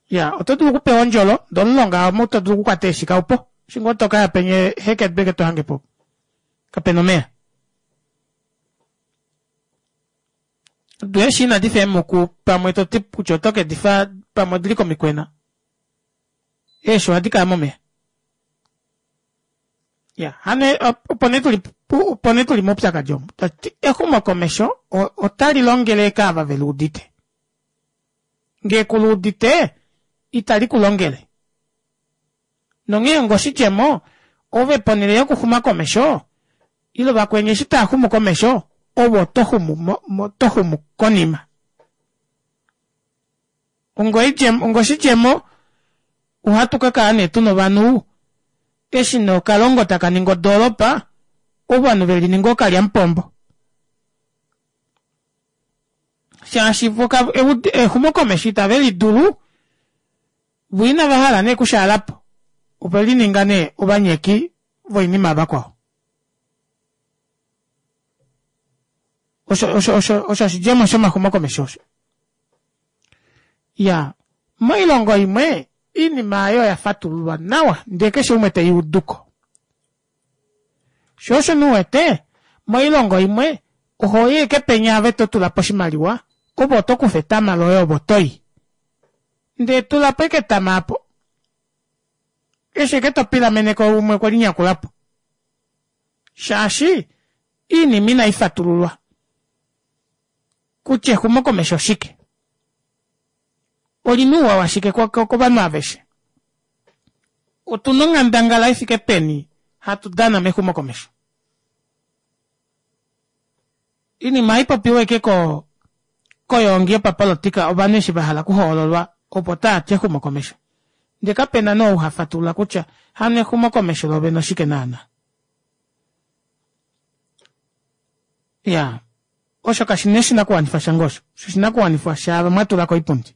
Iyaa oto dulu okupewa ondjolo ndee omulonga omu todulu okukwata eeshi kaupo eshi ngoo tokaya penya ehekedu ashike tohangepo kapena omeva. Doo eeshi inadifa eemuku pamwe toti kutya oto kedifa pamwe odili komikwena eeshi ohadi kala momeva. Iya hano opo nee tuli opo nee tuli moupyakadi omu tashiti exumokomesho otali longele ashike ava veluudite. Ngee kuluudite itali kulongele. Nonghee onga oshidjemo ove ponele yokuxuma komesho ile vakweni eshi taaxumu komesho ove oto xumu oto xumu konima. Onga oidjemo onga oshidjemo ohatu kakala nee tuna ovanhu eshi nee okalongo taka ningi odoropa ovanhu velininga ookalyamupombo shaashi vo exumokomesho itave lidulu voo inavahala nee okushaalapo ovelininga nee ovanyeki voinima yavakwao. Osho osho osho osho oshidjemo shomaxumokomesho osho. Iyaa moilongo imwe oinima aayo oya fatululwa nawa ndee keshe umwe teiuduko. Shoo osho nee uwete moilongo imwe ohoyi ashike penya ove totulapo oshimaliwa ove otokufa etama loye ove otoyi. Ndee tulapo ashike etama aapo eshi ashike topilameneko umwe okwelinyakulapo shaashi oinima inaifatululwa kutya exumokomesho oshike. Olina ouwa washike kovanhu aveshe. Otuna onghandangala ifike peni hatu dana mexumokomesho. Oinima ohaipopiwa ashike ko koyoongi yopapolitika ovanhu eshi vahala okuhoololwa opo taati exumokomesho. Ndee kapena nee ou hafatulula kutya hano exumokomesho lovene oshike naana. Iyaa osho kashina oshinakuwanifwa shange osho, osho oshinakuwanifwa shaava mwatula koipundi.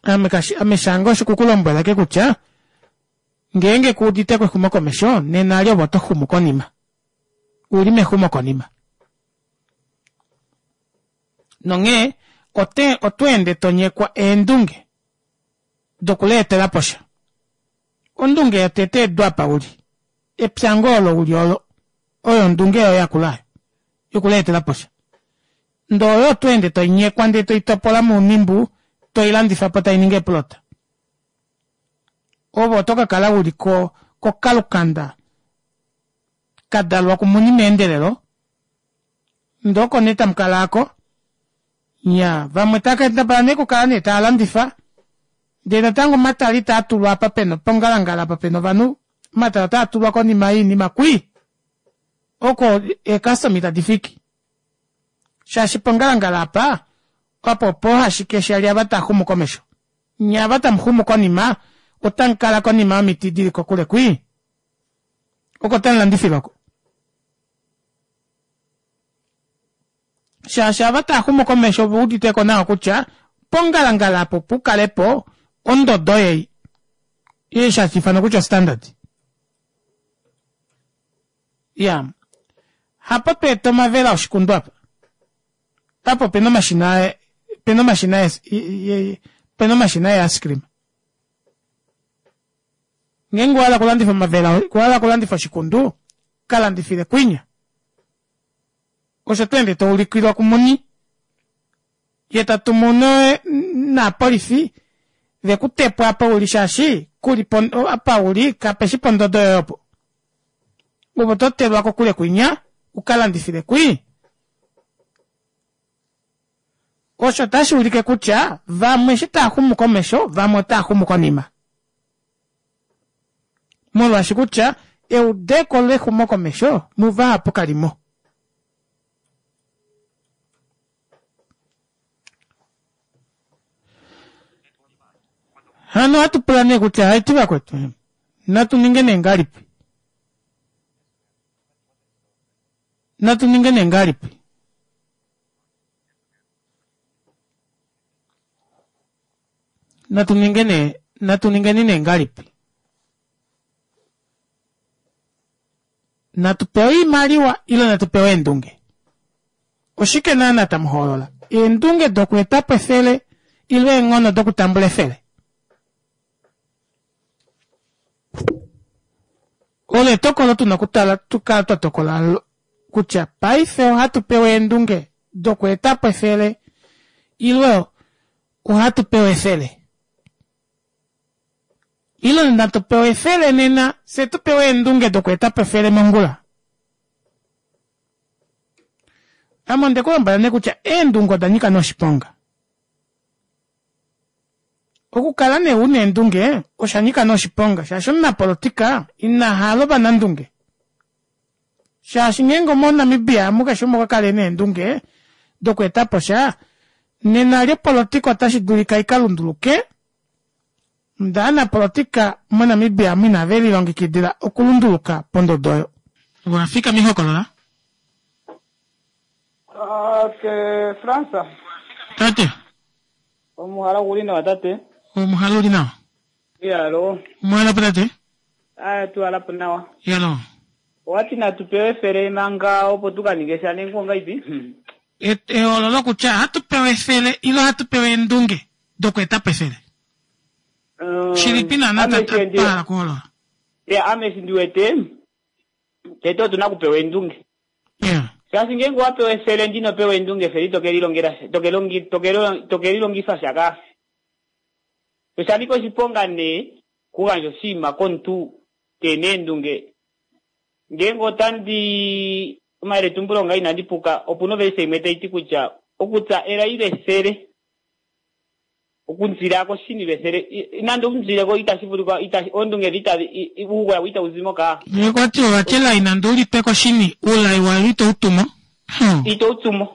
Ame kashi ame shange osho kukulombwela ashike kutya ngeenge kuuditeko exumokomesho nena ali ove oto xumu konima. Uli mexumokonima. Nonghee ote otweende tonyekwa eendunge dokuleetelapo sha. Ondunge yotete edu apa uli, epya ngoo olo uli olo, oyo ondunge yoye yakula oyo yokuleetelapo sha. Ndee oyo otweende toinyekwa ndee toitopola mounimbu toilandifapo tainingi eeplota. Ove oto kakala uli ko kokalukanda kadalwa kumuni meendelelo ndee oko nee tamukala aako. Iyaa vamwe taakendabala nee okukala nee taalandifa ndee natango omatala itaatulwa apa pena pongalangala apa pena ovanhu omatala otaatulwa konima yoinima kwii oko eecustoma itadi fiki shaashi pongalangala apa apo opo ashike shali ava taaxumu komesho nyee ava tamuxumu konima otamukala konima yomiti dili kokule kwii oko tamulandifile oko. Shaashi ava taaxumu komesho ove uditeko nawa kutya pongalangala apo pukalepo ondodo ei eshi hashi ifanwa kutya standard. Iya hapo tweeta omavela oshikundu apa apa opena omashina opena omashina opena omashina ee ice cream. Ngeenge owahala okulandifa omavela owahala okulandifa oshikundu kalandifile kwinya. Osho tweende toulikilwa kumuni yee tatumu naapolifi vekutepo apa uli shaashi kuli apa uli kapeshi pondodo yoye opo. Ove oto telwa kokule kwinya ukalandifile kwii. Osho otashi ulike kutya vamwe eshi taaxumu komesho vamwe otaaxumu konima. Molwaashi kutya eudeko lexumokomesho muvahapu kalimo. Hano ohatu pula nee kutya haiti vakwetu, natu ninge nee ngahelipi? Natu ninge nee ngahelipi? Natu ninge nee, natu ningeni nee ngahelipi? Natu pewe oimaliwa ile natu pewe eendunge? Oshike naana tamu hoolola? Eendunge dokweeta po efele ile eenghono dokutambula efele? Olo etokolo tu na okutala, tu kala twa tokola kutya paife ohatu pewa eendunge dokweeta po efele ile ohatu pewa efele. Ile natu pewa efele nena, fye tu pewa eendunge dokweeta po efele mongula. Ame onde ku lombwela nee kutya eendunge oda nyika nee oshiponga. Okukala nee una eendunge osha nyika nee oshiponga shaashi omunapolotika ina hala ovanandunge. Shaashi ngeenge omoNamibia amu keshe umwe okwa kala ena eendunge dokweeta po sha, nena lyopolotika otashi dulika ika lunduluke ndee ovanapolotika moNamibia amu inave lilongekidila okulunduluka pondodo oyo. Wafika mihokolola. Ke France. Tate. Omuhala guli nawa tate. Omuhala uli nawa. Iyalo. Omuhala po tate. Aya tuhala po nawa. Iyalo. Owati natu pewe efele manga opo tu ka ninge sha nenge ongaipi? Ehoololo kutya ohatu pewa efele ile ohatu pewa eendunge dokweeta po efele. Shilipi naana twa hala okuholola? Ya, ame eshi ndi wete tete otu na okupewa eendunge. Shaashi ngeenge owa pewa efele ndee ino pewa eendunge, efele ito ke lilongela sha, to ke lilongifa sha kaa. Osha nika oshiponga nee okugandja oshinima komuntu keena eendunge. Ngeenge otandi omayeletumbulo ngaa inandi puka, opuna ovelise imwe tai ti kutya okutsa elai lefele okunzila koshini lwefele nande unzileko itashi vulika oondunge itadhi uugoya itau zimo kaa. Okwati ovati elai nande ulitwe koshini uulai wayo ito utumo. Ito utumo.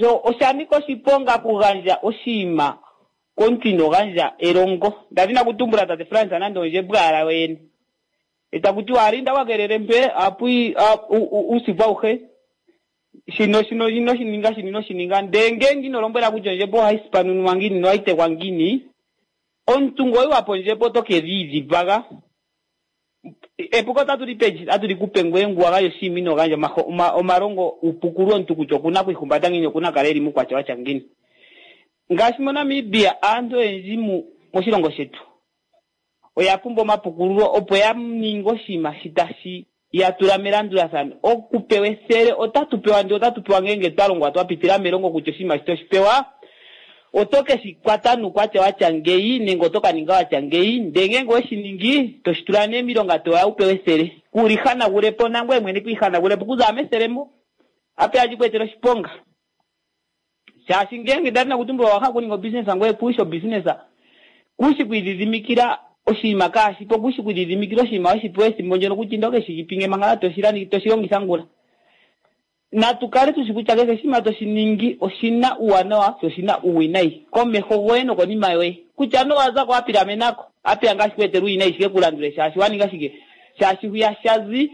So osha nika oshiponga okugandja oshinima komuntu ino gandja elongo. Ndadhina kutumbula tate Frans nande ondjembo owala yoyene. Etaku tiwa alinda wakelele mpe apui uusiku auhe shino shino ino shininga shino ino shininga ndee ngeenge ino lombwela kutya ondjembo ohayi sipanunwa ngiini nohayi tekwa ngiini, omuntu ngoye wapo ondjembo oto ke dhiidhipaga. Epuko otatu li pe otatu li kupe ngoye ngu wa gandja oshinima ino gandja omalongo upukulwe omuntu kutya okuna okwiihumbata ngiini okuna okukala eli muukwatya watya ngiini. Ngaashi moNamibia aantu oyendji moshilongo shetu oya pumbwa omapukululo opo ya ninge oshinima shi tashi ya tula melandulathano. Okupewa ethele otatu pewa ndee otatu pewa ngeenge twa longwa twa pitila melongo kutya oshinima shi toshi pewa oto ke shi kwata nuukwatya watya ngeyi nenge oto ka ninga watya ngeyi ndee ngeenge oweshi ningi toshi tula nee miilonga toya u pewe ethele kuuli hanagulepo nangoye mwene kwiihanagulepo okuza methele mo ape hashi ku etele oshiponga. Shaashi ngeenge ndati nakutumbula owa hala okuninga obusiness ngoye kushi obusiness kushi kwiidhidhimikila oshinima kaashipo kushi kwiidhidhimikila oshinima weshipewa ethimbo ndyono kutya inda ukeshi pinge manga toshi longitha ngula. Natu kale tushi kutya kehe oshinima toshi ningi oshina uuwanawa sho oshina uuwinayi komeho goye nokonima yoye. Kutya nee owa zako wa pilamenako apeya ngaa shi ku etele uuwinayi shike ku landule shaashi wa ninga shike shaashi hwiya shazi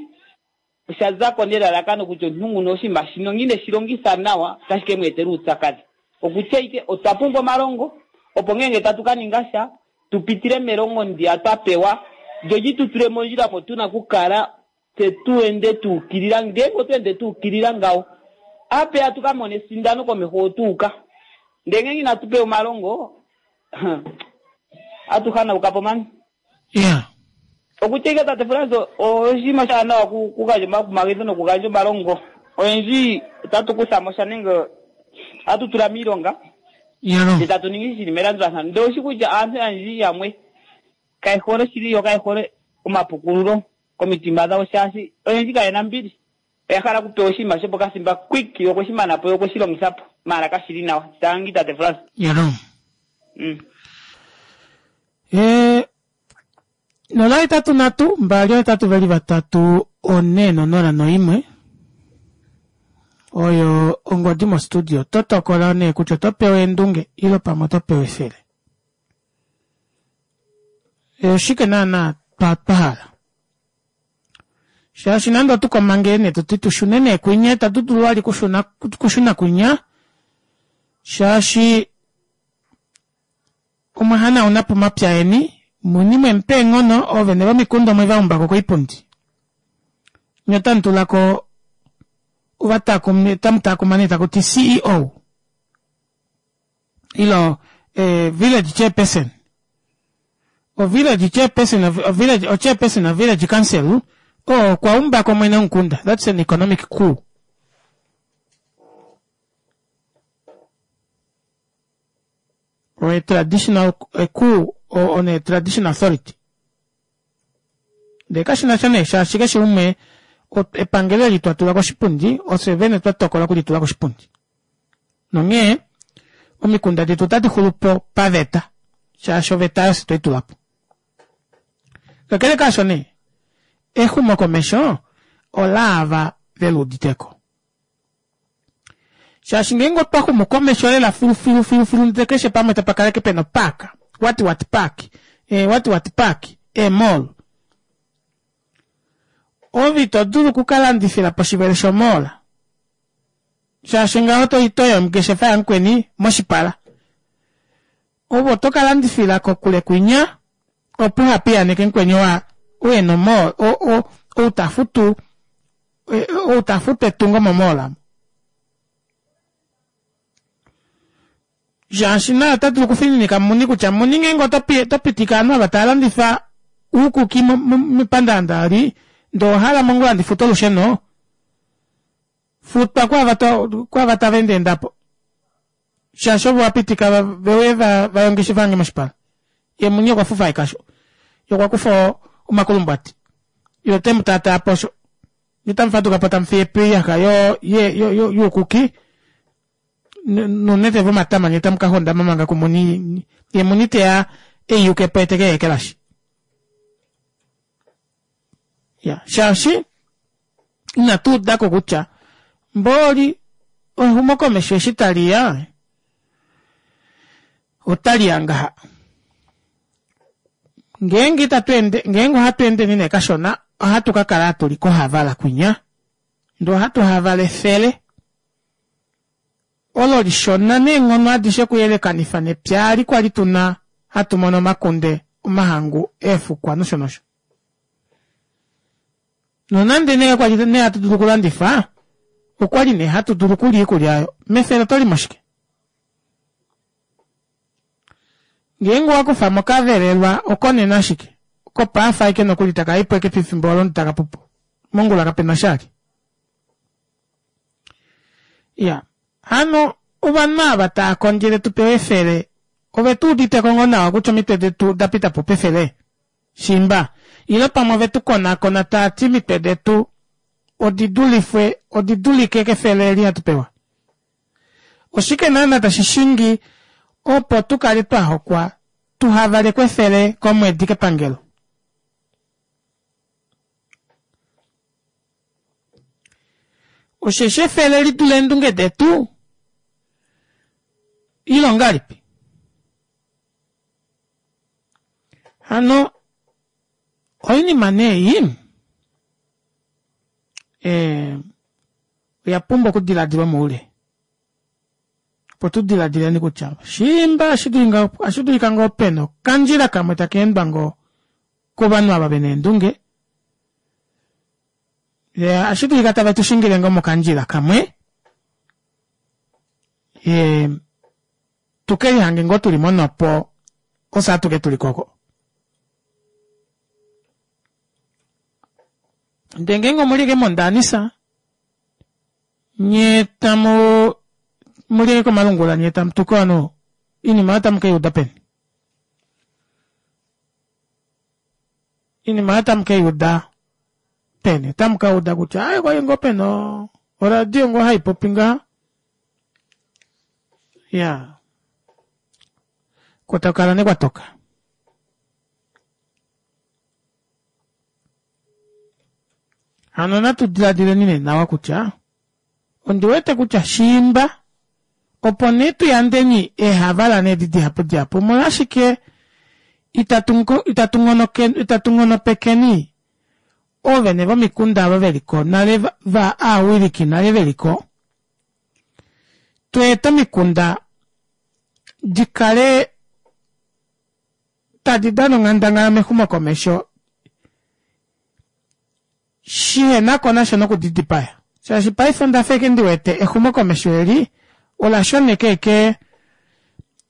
osha zako nelalakano kutya omuntu nguno oshinima shino ngine shi longitha nawa otashi ke mu etela uupyakadhi. Okutya ike otwa pumbwa omalongo opo ngeenge tatu ka ninga sha tu pitile melongo ndiya twa pewa lyo li tu tule mondjila mo tuna okukala tse tu ende tu ukilila. Ngeenge otwa ende tu ukilila ngawo apeya tu ka mone esindano komeho otuuka. Ndee ngeenge inatu pewa omalongo atu hanauka po mani. Yeah. Okutya ike tate Frans oshinima oshaanawa okugandja omakumagidho nokugandja omalongo. Oyendji otatu kutha mo sha nenge ohatu tula miilonga ndee tatu ningi shili melandulathano. Ndee oushi kutya aantu oyendji yamwe kaye hole oshili yo kaye hole omapukululo komitima dhawo shaashi oyendji kayena ombili. Oya hala okupewa oshinima shopokathimba quick ye okweshi mana po ye okweshi longitha po maala kashili nawa. Tangi tate Frans. Yalo. Mm. Eh, nola hetatu nhatu mbali ohetatu veli vatatu one nonola noimwe oyo ongodi mostudio. Oto tokola nee kutya oto pewa eendunge ile pamwe oto pewa efele. Oshike naana twa hala? Shaashi nande otukomange nee tuti tushune nee kwinya, itatu dulu vali kushuna, kushuna kwinya, shaashi omwa hanaunapo omapya eni, muni mwemupa eenghono, oovene vomikunda omwe vaumbako koipundi. Nye otamu tulako ovatakumi, otamu takuma nee takuti C E O ilo eh, village chairperson. O village chairperson of, o village, o chairperson of village council, oo okwa umbako mwene womukunda. That's an economic coup. Or a traditional a coup or on a traditional authority. Ndele kashi na sha nee shaashi keshe umwe epangelo eli twa tula koshipundi, ofye vene twa tokola okulitula koshipundi. Nonghee omikunda detu otadi xulu po paveta, shaashi oveta oyo twei tula po. Kakele kaasho nee, exumokomesho olaava veluuditeko. Shaashi ngeenge otwa xumu komesho lela filu filu filu filu, ndele keshe pamwe tapa kaleke pena opaaka, what what park, eh, what what park, e mall. Ove ito dulu okukalandifila poshivelo shomall. Shaashi ngaho to itoya ongeshefa yamukweni moshipala. Ove oto kalandifila kokule kwinya, opo uhapiyaaneke mukweni wa uye nomall, o, o, ou ta futu, ou ta futu etungo momall amo. Shaashi naye ota dulu okufininika muni kutya muni ngeenge oto pitika ovanhu ava tava landifa uukuki mepandaanda ali, ndee owahala mongula ndi fute olusheno, futwa kwaava tava endaenda po. Shaashi ovo wapitika veuye vaye ongeshefa yange moshipala. Ye muni okwa fufa ekasho. Ye okwa kufa omakulumbwati. Ye ote mu taataa posho. Nye tamu faduka po tamu fiye po oiyaxa youkuki nounete vomatama nye tamu ka hondama manga kumuni. Ye muni teya eiyuke po eteke yeekelashi. Ya, shaashi inatu udako kutya mboli exumokomesho eshi tali ya otali ya ngaha. Ngeenge itatu ende, ngeenge ohatu endeni nee kashona, ohatu ka kala tuli kohavala kwinya. Ndee ohatu havala efele olo lishona neenghono adishe okuyelekanifa nepya ali kwali tuna hatu mono omakunde, omahangu, eefukwa nosho nosho. Nonande nee kwali nee hatu dulu okulandifa, okwali nee hatu dulu okulya iikulya oyo. Mefele oto limo shike? Ngeenge owa kufa mo kavelelwa okonena ashike, kopaafa aike nokuli taka i po eke pefimbo olo taka pupo. Mongula kapena shali. Ya, hano ovanhu ava tava kondjele tu pewe efele, ove tu udite ko ngoo nawa kutya omitwe detu da pita po pefele? Shimba, ile pamwe ove tu konakona tava ti omitwe detu odi dulifwe, odi dulike kefele eli hatu pewa. Oshike naana tashi shingi opo tu kale twa hokwa tuhavalekwe efele komwedi kepangelo? Osheshi efele li dule eendunge detu, ile ongalipi? Hano oinima nee ei eh, oya pumbwa okudiladilwa moule. Opo tu diladileni kutya shimba ohashi dulika ngoo pena okandjila kamwe taka endwa ngoo kovanhu ava vena eendunge, ohashi dulika tave tu shingile ngoo mokandjila kamwe, e, tuke lihange ngoo tuli monopo ofye atuke tuli koko. Ndee ngeenge omuli eke mondaanisa, nye tamu muli eke komalungula, nye tamu tuku ovanhu, oinima oyo tamu keiuda peni? Oinima oyo tamu keiuda peni? Otamu kauda kutya ai kwali ngoo pena oradio ngoo haipopi ngaha. Ya, kotokala nekwatoka. Hano natu diladileni nee nawa kutya ondi wete kutya shimba opo nee tu yandeni eehavala needi dihapu dihapu, omolwashike Itatu itatu itatu nghonopekeni oovene vomikunda ava veliko nale va aawiliki nale veliko tweeta omikunda dikale tadi dana onghandangala mexumokomesho shihenako nasha nokudidipaya shaashi paife ondafa eke ndiwete exumokomesho eli ola shoneka eke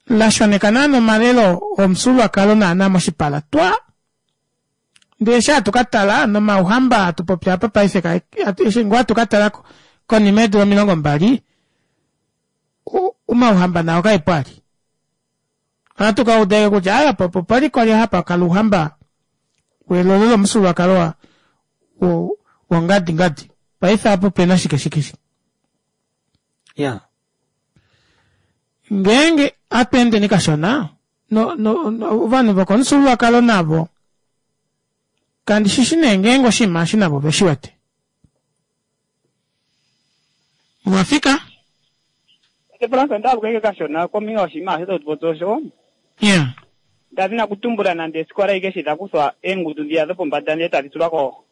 la shoneka naana omalelo omufyuululwakalo naana moshipala twa ndee eshi hatu katala nomauhamba hatu popi apa paife eshi ngoo hatu katala konima yeedula omilongo mbali omauhamba nao kaepo ali ohatu kauda eke kutya aya po pali kwali hapa kala ouhamba welolo lomufyuululwakalo wongadi ngadi paife apo pena shike shike shike ya ngeenge atweendeni kashona no no ovanhu vokomufyuululwakalo navo kandi shishi nee ngeenge oshinima eshi navo veshi wete mwafika Frans ndalukeke kashona kombinga yoshinima osho totupopi osho yeah ndadina kutumbula nande esikola ike eshi dakuthwa eengudu dhiya dhopombada ndee tadhi tulwa ko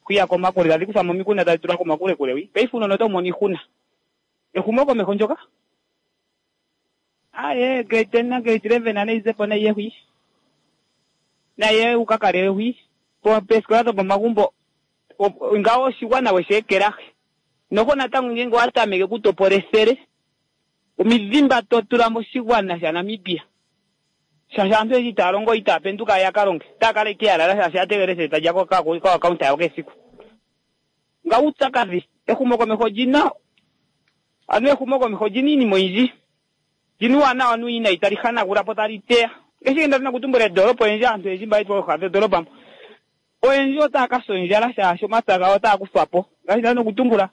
kwiya komakule tadhi kuthwa momikunda tadhi tulwa komakulekule wi paife uunona otawu mono iihuna ehumokomeho ndyoka aye grade ten na grade eleven nayi zepo nayiye hwi naye ukakale hwi peesikola dhopomagumbo ngawo oshigwana weshi ekelahi noho natango ngenge owatameke okutopola ethele omidhimba totula moshigwana shaNamibia shaashi aantu oyendji itaya longo itaya penduka ya ka longe otaya kala ike ya lala shaashi ya tegelela ethele talya koakaunta yawo kesiku nga uupyakadhi ehumokomeho olina ano ehumokomeho olina iinima oyindji lina uuwanawa nuuwinayi tali hanagula po tali teya ngaashi nda dhina okutumbula edoolopa oyendji aantu oyendji mba yeli pooha dhodolopa mpo oyendji otaya ka sa ondjala shaashi omapya gawo otaya kuthwa po ngaashi nda dhina okutumbula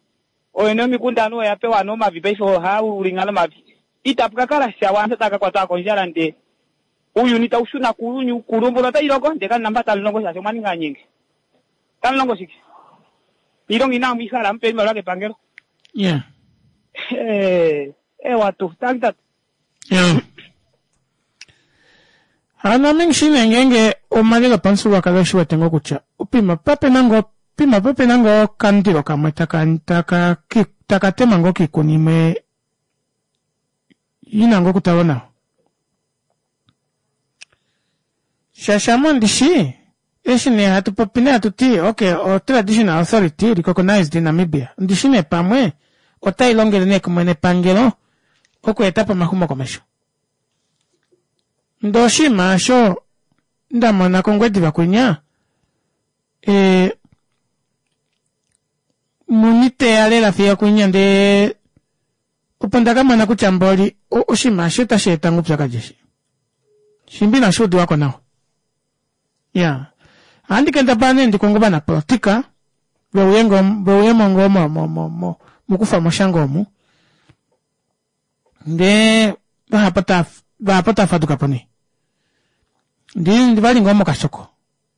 ooyene yomikunda anuwa oya pewa anuwa omavi paife ohaya ulinga nomavi itapu ka kala sha aantu otaya ka kwatwa kondjala ndee uuyuni tawu shuna kuuyuni uukulu omvula otayi loko ndee kamuna mpa tamu longo shaashi omwa ninga aanyenge tamu longo shike iilonga inamu yi hala mupewe iimaliwa kepangelo yeah ewa tuu tangi tate yeah hano ame nghishi nee ngeenge omalelo opamufyuululwakalo eshi wete ngoo kutya pima papena ngoo pima papena ngoo okamundilo kamwe taka taka taka tema ngoo kiikuni imwe ina ngoo okutalwa nawa shaashi ame ondishi eshi nee hatu popi nee hatu ti okay o traditional authority recognized in Namibia ondishi nee pamwe otai longele nee kumwe nepangelo okweetapo omaxumokomesho ndee oshinima osho ndamona kOngwediva kwinya e, muni teya lela fiyo kwinya ndee opo ndakamona kutya mboli oshinima eshi otashi eta ngoo oupyakadi eshi shimbi inashi udiwako nawa ya ohandi kendabala nee ndikonge ovanapolitika veuye veuyemo ngoo mo mo mo mokufa moshango omu ndee vahapu vahapu otava fadukapo nee ndi vali ngoo mokashoko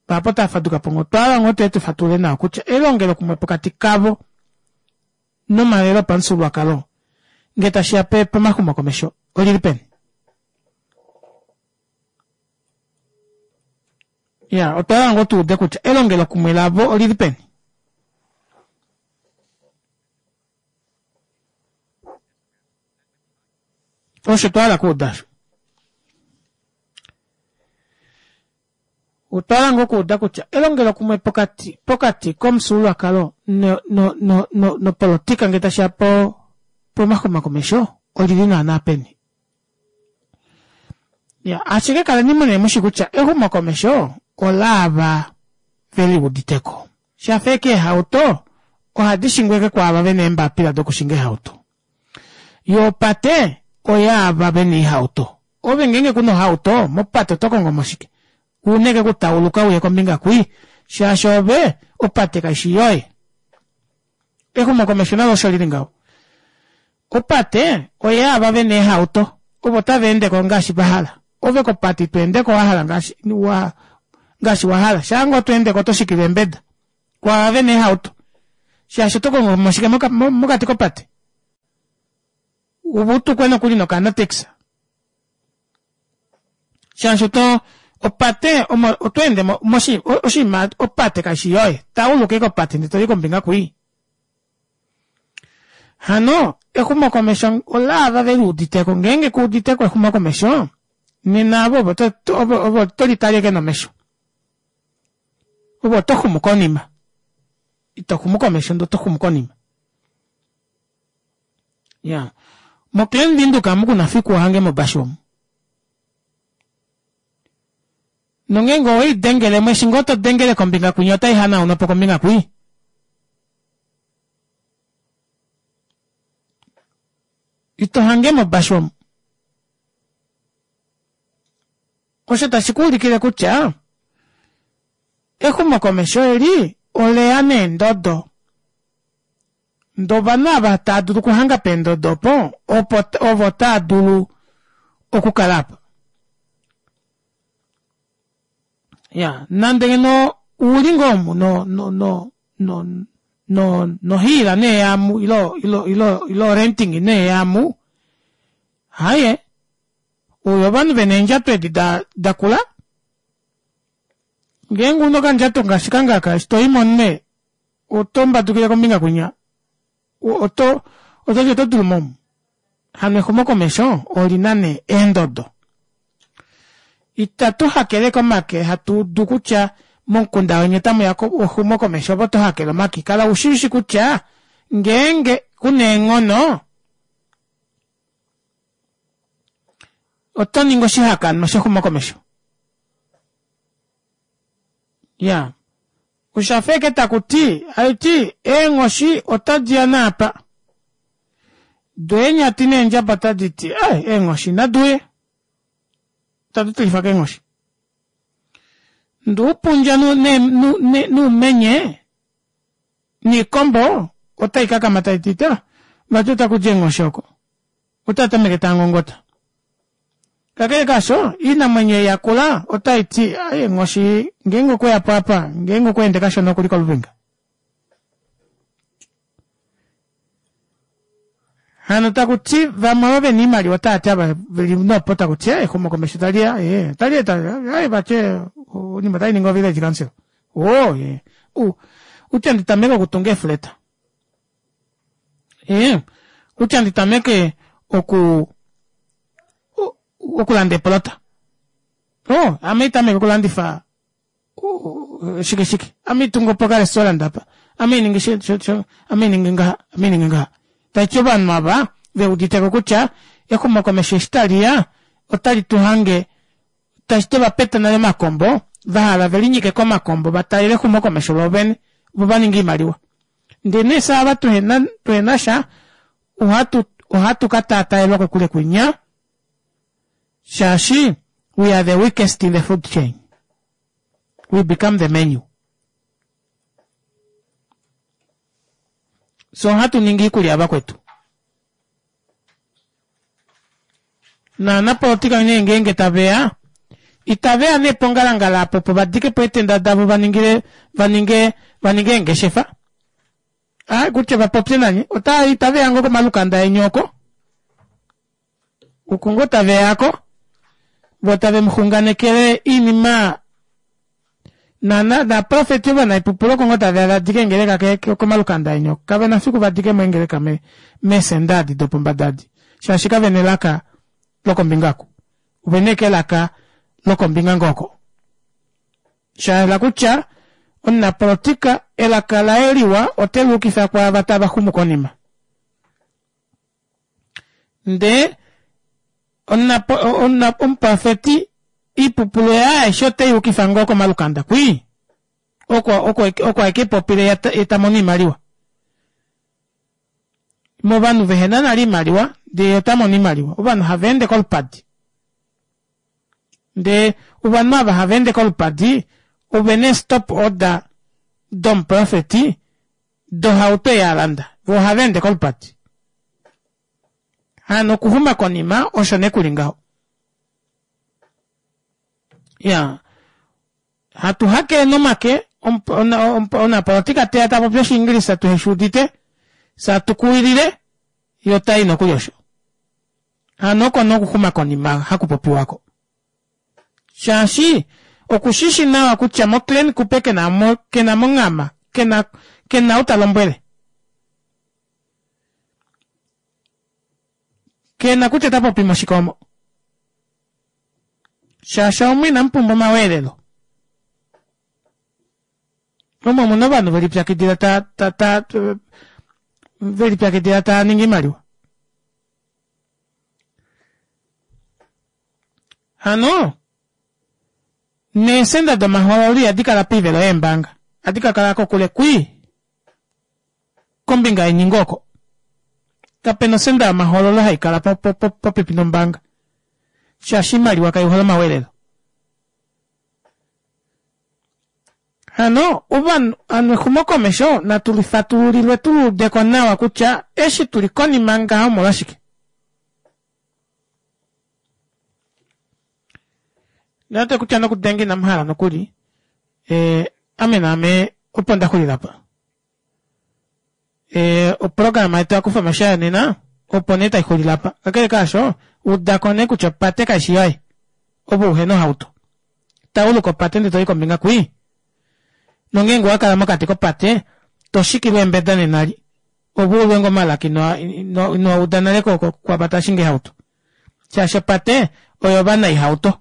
vahapu otava fadukapo ngoo otwahala ngoo tuye tufatulule nawa kutya elongelokumwe pokati kavo nomalelo opamufyuululwakalo ngee tashiya pomaxumokomesho olili peni ya otwahala ngoo tuude kutya elongelokumwe lavo olili peni osho twahala kuuda osho otwahala ngoo okuuda kutya elongelokumwe pokati pokati komufyuululwakalo no no no no nopolitika ngee tashiya po pomaxumokomesho olili naana peni ya ashike kaleni mune mushi kutya exumokomesho olaava veliuditeko shafa eke eehauto ohadi shingwa eke kwaava vena eembapila dokushinga eehauto yoo opate oyaava vena oihauto ove ngeenge kuna ohauto mopate oto kongo mo shike una eke kutauluka uye kombinga kwii shaashi ove opate kaishi yoye exumokomesho nalo osho lili ngaho opate oyaava vena eehauto ovo tava endeko ngaashi vahala ove kopate ito endeko wahala ngaashi wa ngaashi wahala shaanga oto endeko oto shikile eembeda kwaava vena eehauto shaashi oto kongo mo shike mokati kopate ove utukwe nokuli nokanatex shaashi oto Opate omo otweende moshi oshinima opate kaishi yoye, tauluka ashike opate ndee toli kombinga kwii. Hano exumokomesho olaava veluuditeko, ngeenge kuuditeko exumokomesho nena avo ovo ovo tolitale ashike nomesho. Ove otoxumu konima, itoxumu komesho ndee otoxumu konima. Iyaa mo Klein Windhoek amu kuna fiku uhangemo obashu omu. Nongeenge oweidengelemo eshi ngoo todengele kombinga kwinya otaihanaunwapo kombinga kwii. Ito hangemo obashu omu. Osho tashi kuulikile kutya exumokomesho eli oleya neendodo ndee ovanhu ava taadulu okuhanga peendodo opo opo ovo taadulu okukala aapa. Iyaa nande ngeno uli ngoo omu no no no no nohiila nee yaamu ilo ilo ilo renting nee yaamu aaye ouya ovanhu vena eendjato edi dakula ngeenge una okandjato ngaashi kange aka eshi toyimo omunhu oto mbadukile kombinga kwinya oto ototi oto dulumo omu hano exumokomesho olina nee eendodo. Ita tuhakele ashike omake hatuudu kutya momukunda weni otamuya exumokomesho ove oto hakele omake kala ushishi kutya ngeenge kuna eenghono otoningi oshihakanwa shexumokomesho. Iyaa oshafa ashike takuti haiti eenghoshi otadiya naapa doo eenyati neendjaba otaditi ee eenghoshi naduuye itatu tilifwa keenghoshi. Ndee oupundja noumenye noikombo otaikakama taiti ta vati otakudi eenghoshi oko otaatameke taangongota. Kakele kaasho oinamwenyo ei yakula otaiti aaye nghoshi ngeenge okweyapo aapa ngeenge okweende kashona okuli koluvinga. Hano takuti vamwe ovo vena oimaliwa otaati ava veli nopo takuti ee exumokomesho taliya ee otalieta aaye vati oinima otainingi o village council oo ee utya nditameke okutunga eefleta ee utya nditameke oku okulanda eepolota oo ame haitameke okulandifa shike shike ame haitungupo oka restaurant apa ame hainingi ame hainingi ngaha ame hainingi ngaha taiti ovanhu ava veuditeko kutya exumokomesho eshi taliya otali tuhange tashiti ovapeta nale omakombo vahala velinyike komakombo vatalele exumokomesho voovene voo vaninge oimaliwa ndee nee fyee ava tuhena tuhenasha ohatu ohatu kataataelwa kokule kwinya shaashi we are the weakest in the food chain, we become the menu. So ohatu ningi iikulya yavakwetu. Naanapolitika nee ngeenge taveya itaveya nee pongalangala apo opo vadikepo eetenda davo vaningile vaninge vaninge eengeshefa aaye kutya vapopye nanye ota itaveya ngoo komalukanda eni oko oko ngoo taveyako voo tave muxunganekele oinima nana naprofeti ovanaipupulu oko ngoo taveya vadike eengeleka komalukanda eni oko kavena fiku vadikemo eengeleka meesenda edi dopombada edi shaashi kavena elaka lokombinga oku ovena ashike elaka lokombinga ngoo oko shahala kutya omunapolitika elaka laye liwa oteluukifa kwaava tava xumu konima ndee omuprofeti oipupulu yaye aishe oteyukifa ngoo komalukanda kwii oko oko oko aike popile yetamono oimaliwa movanhu vehena nale oimaliwa ndee yee otamono oimaliwa ovanhu haveende kolupadi ndee ovanhu ava haveende kolupadi ovena ee stop order domuprofeti dohauto ei alanda voo ohaveende kolupadi hano okuxuma konima osho nee kuli ngaho iyaa hatu hakele nomake omunapolitika teya tapopi oshiingilisa tuheshuudite fyee hatukuwilile yee otayi nokuli osho hano oko nee okuxuma konima hakupopiwa oko Shaashi okushishi nawa kutya moClan Kupe kena mo kena monghama kena kena ou ta lombwele. Kena kutya ota popi moshike omo. Shaashi omu inamu pumbwa omaweelelo. Omo omuna ovanhu velipyakidila ta ta ta velipyakidila taa ningi oimaliwa. Hano neesenda domahoololo ihadi kala poivelo yeembanga, ohadi ka kala kokule kwii kombinga yeningo oko. Kapena osenda yomahoololo hai kala popepi nombaanga shaashi oimaliwa kai hole omaweelelo. Hano ovanhu hano exumokomesho natu lifatululilwe tu luudeko nawa kutya eshi tuli konima ngaha omolwashike. Nate kutya nokudenga inamu hala nokuli e, ame naame opo nda xulila pa. E, oprograma yetu yakufa omashaya nena opo nee taixulile apa. Kakele kaasho udako nee kutya opate kaishi yoye ove uhena ohauto. Tauluka opate ndee toyi kombinga kwii. Nongeenge owakala mokati kopate toshikilwa eembeda nenali ove ulwe ngoo omalaka ino ino uda nale kwaava tava shingi eehauto. Shaashi opate oyo vanaihauto.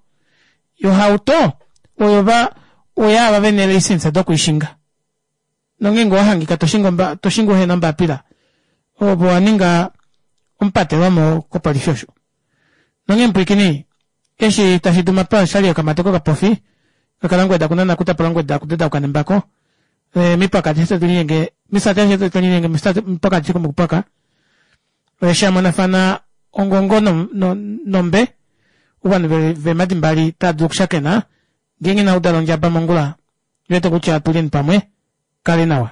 Ohauto oyo va oyaava vena eelicense dokwiishinga. Nongeenge owahangika toshingi toshingi uhena ombapila ove owaninga omupatelwamo kopolifi osho. Nonghee mupwiikini eshi tashi duma oshali yokamate kokapofi kakalangweda kunana kutapula ngweda kudedauka nembako e, mipakati eshi tatulinyenge misati eshi tatulinyenge mipakati shikumukupaka shamonafana ongongo nombe ovanhu veemadi mbali tava dulu okushakena ngeenge inau dala ondjaba mongula wete kutya atuleni pamwe kale nawa.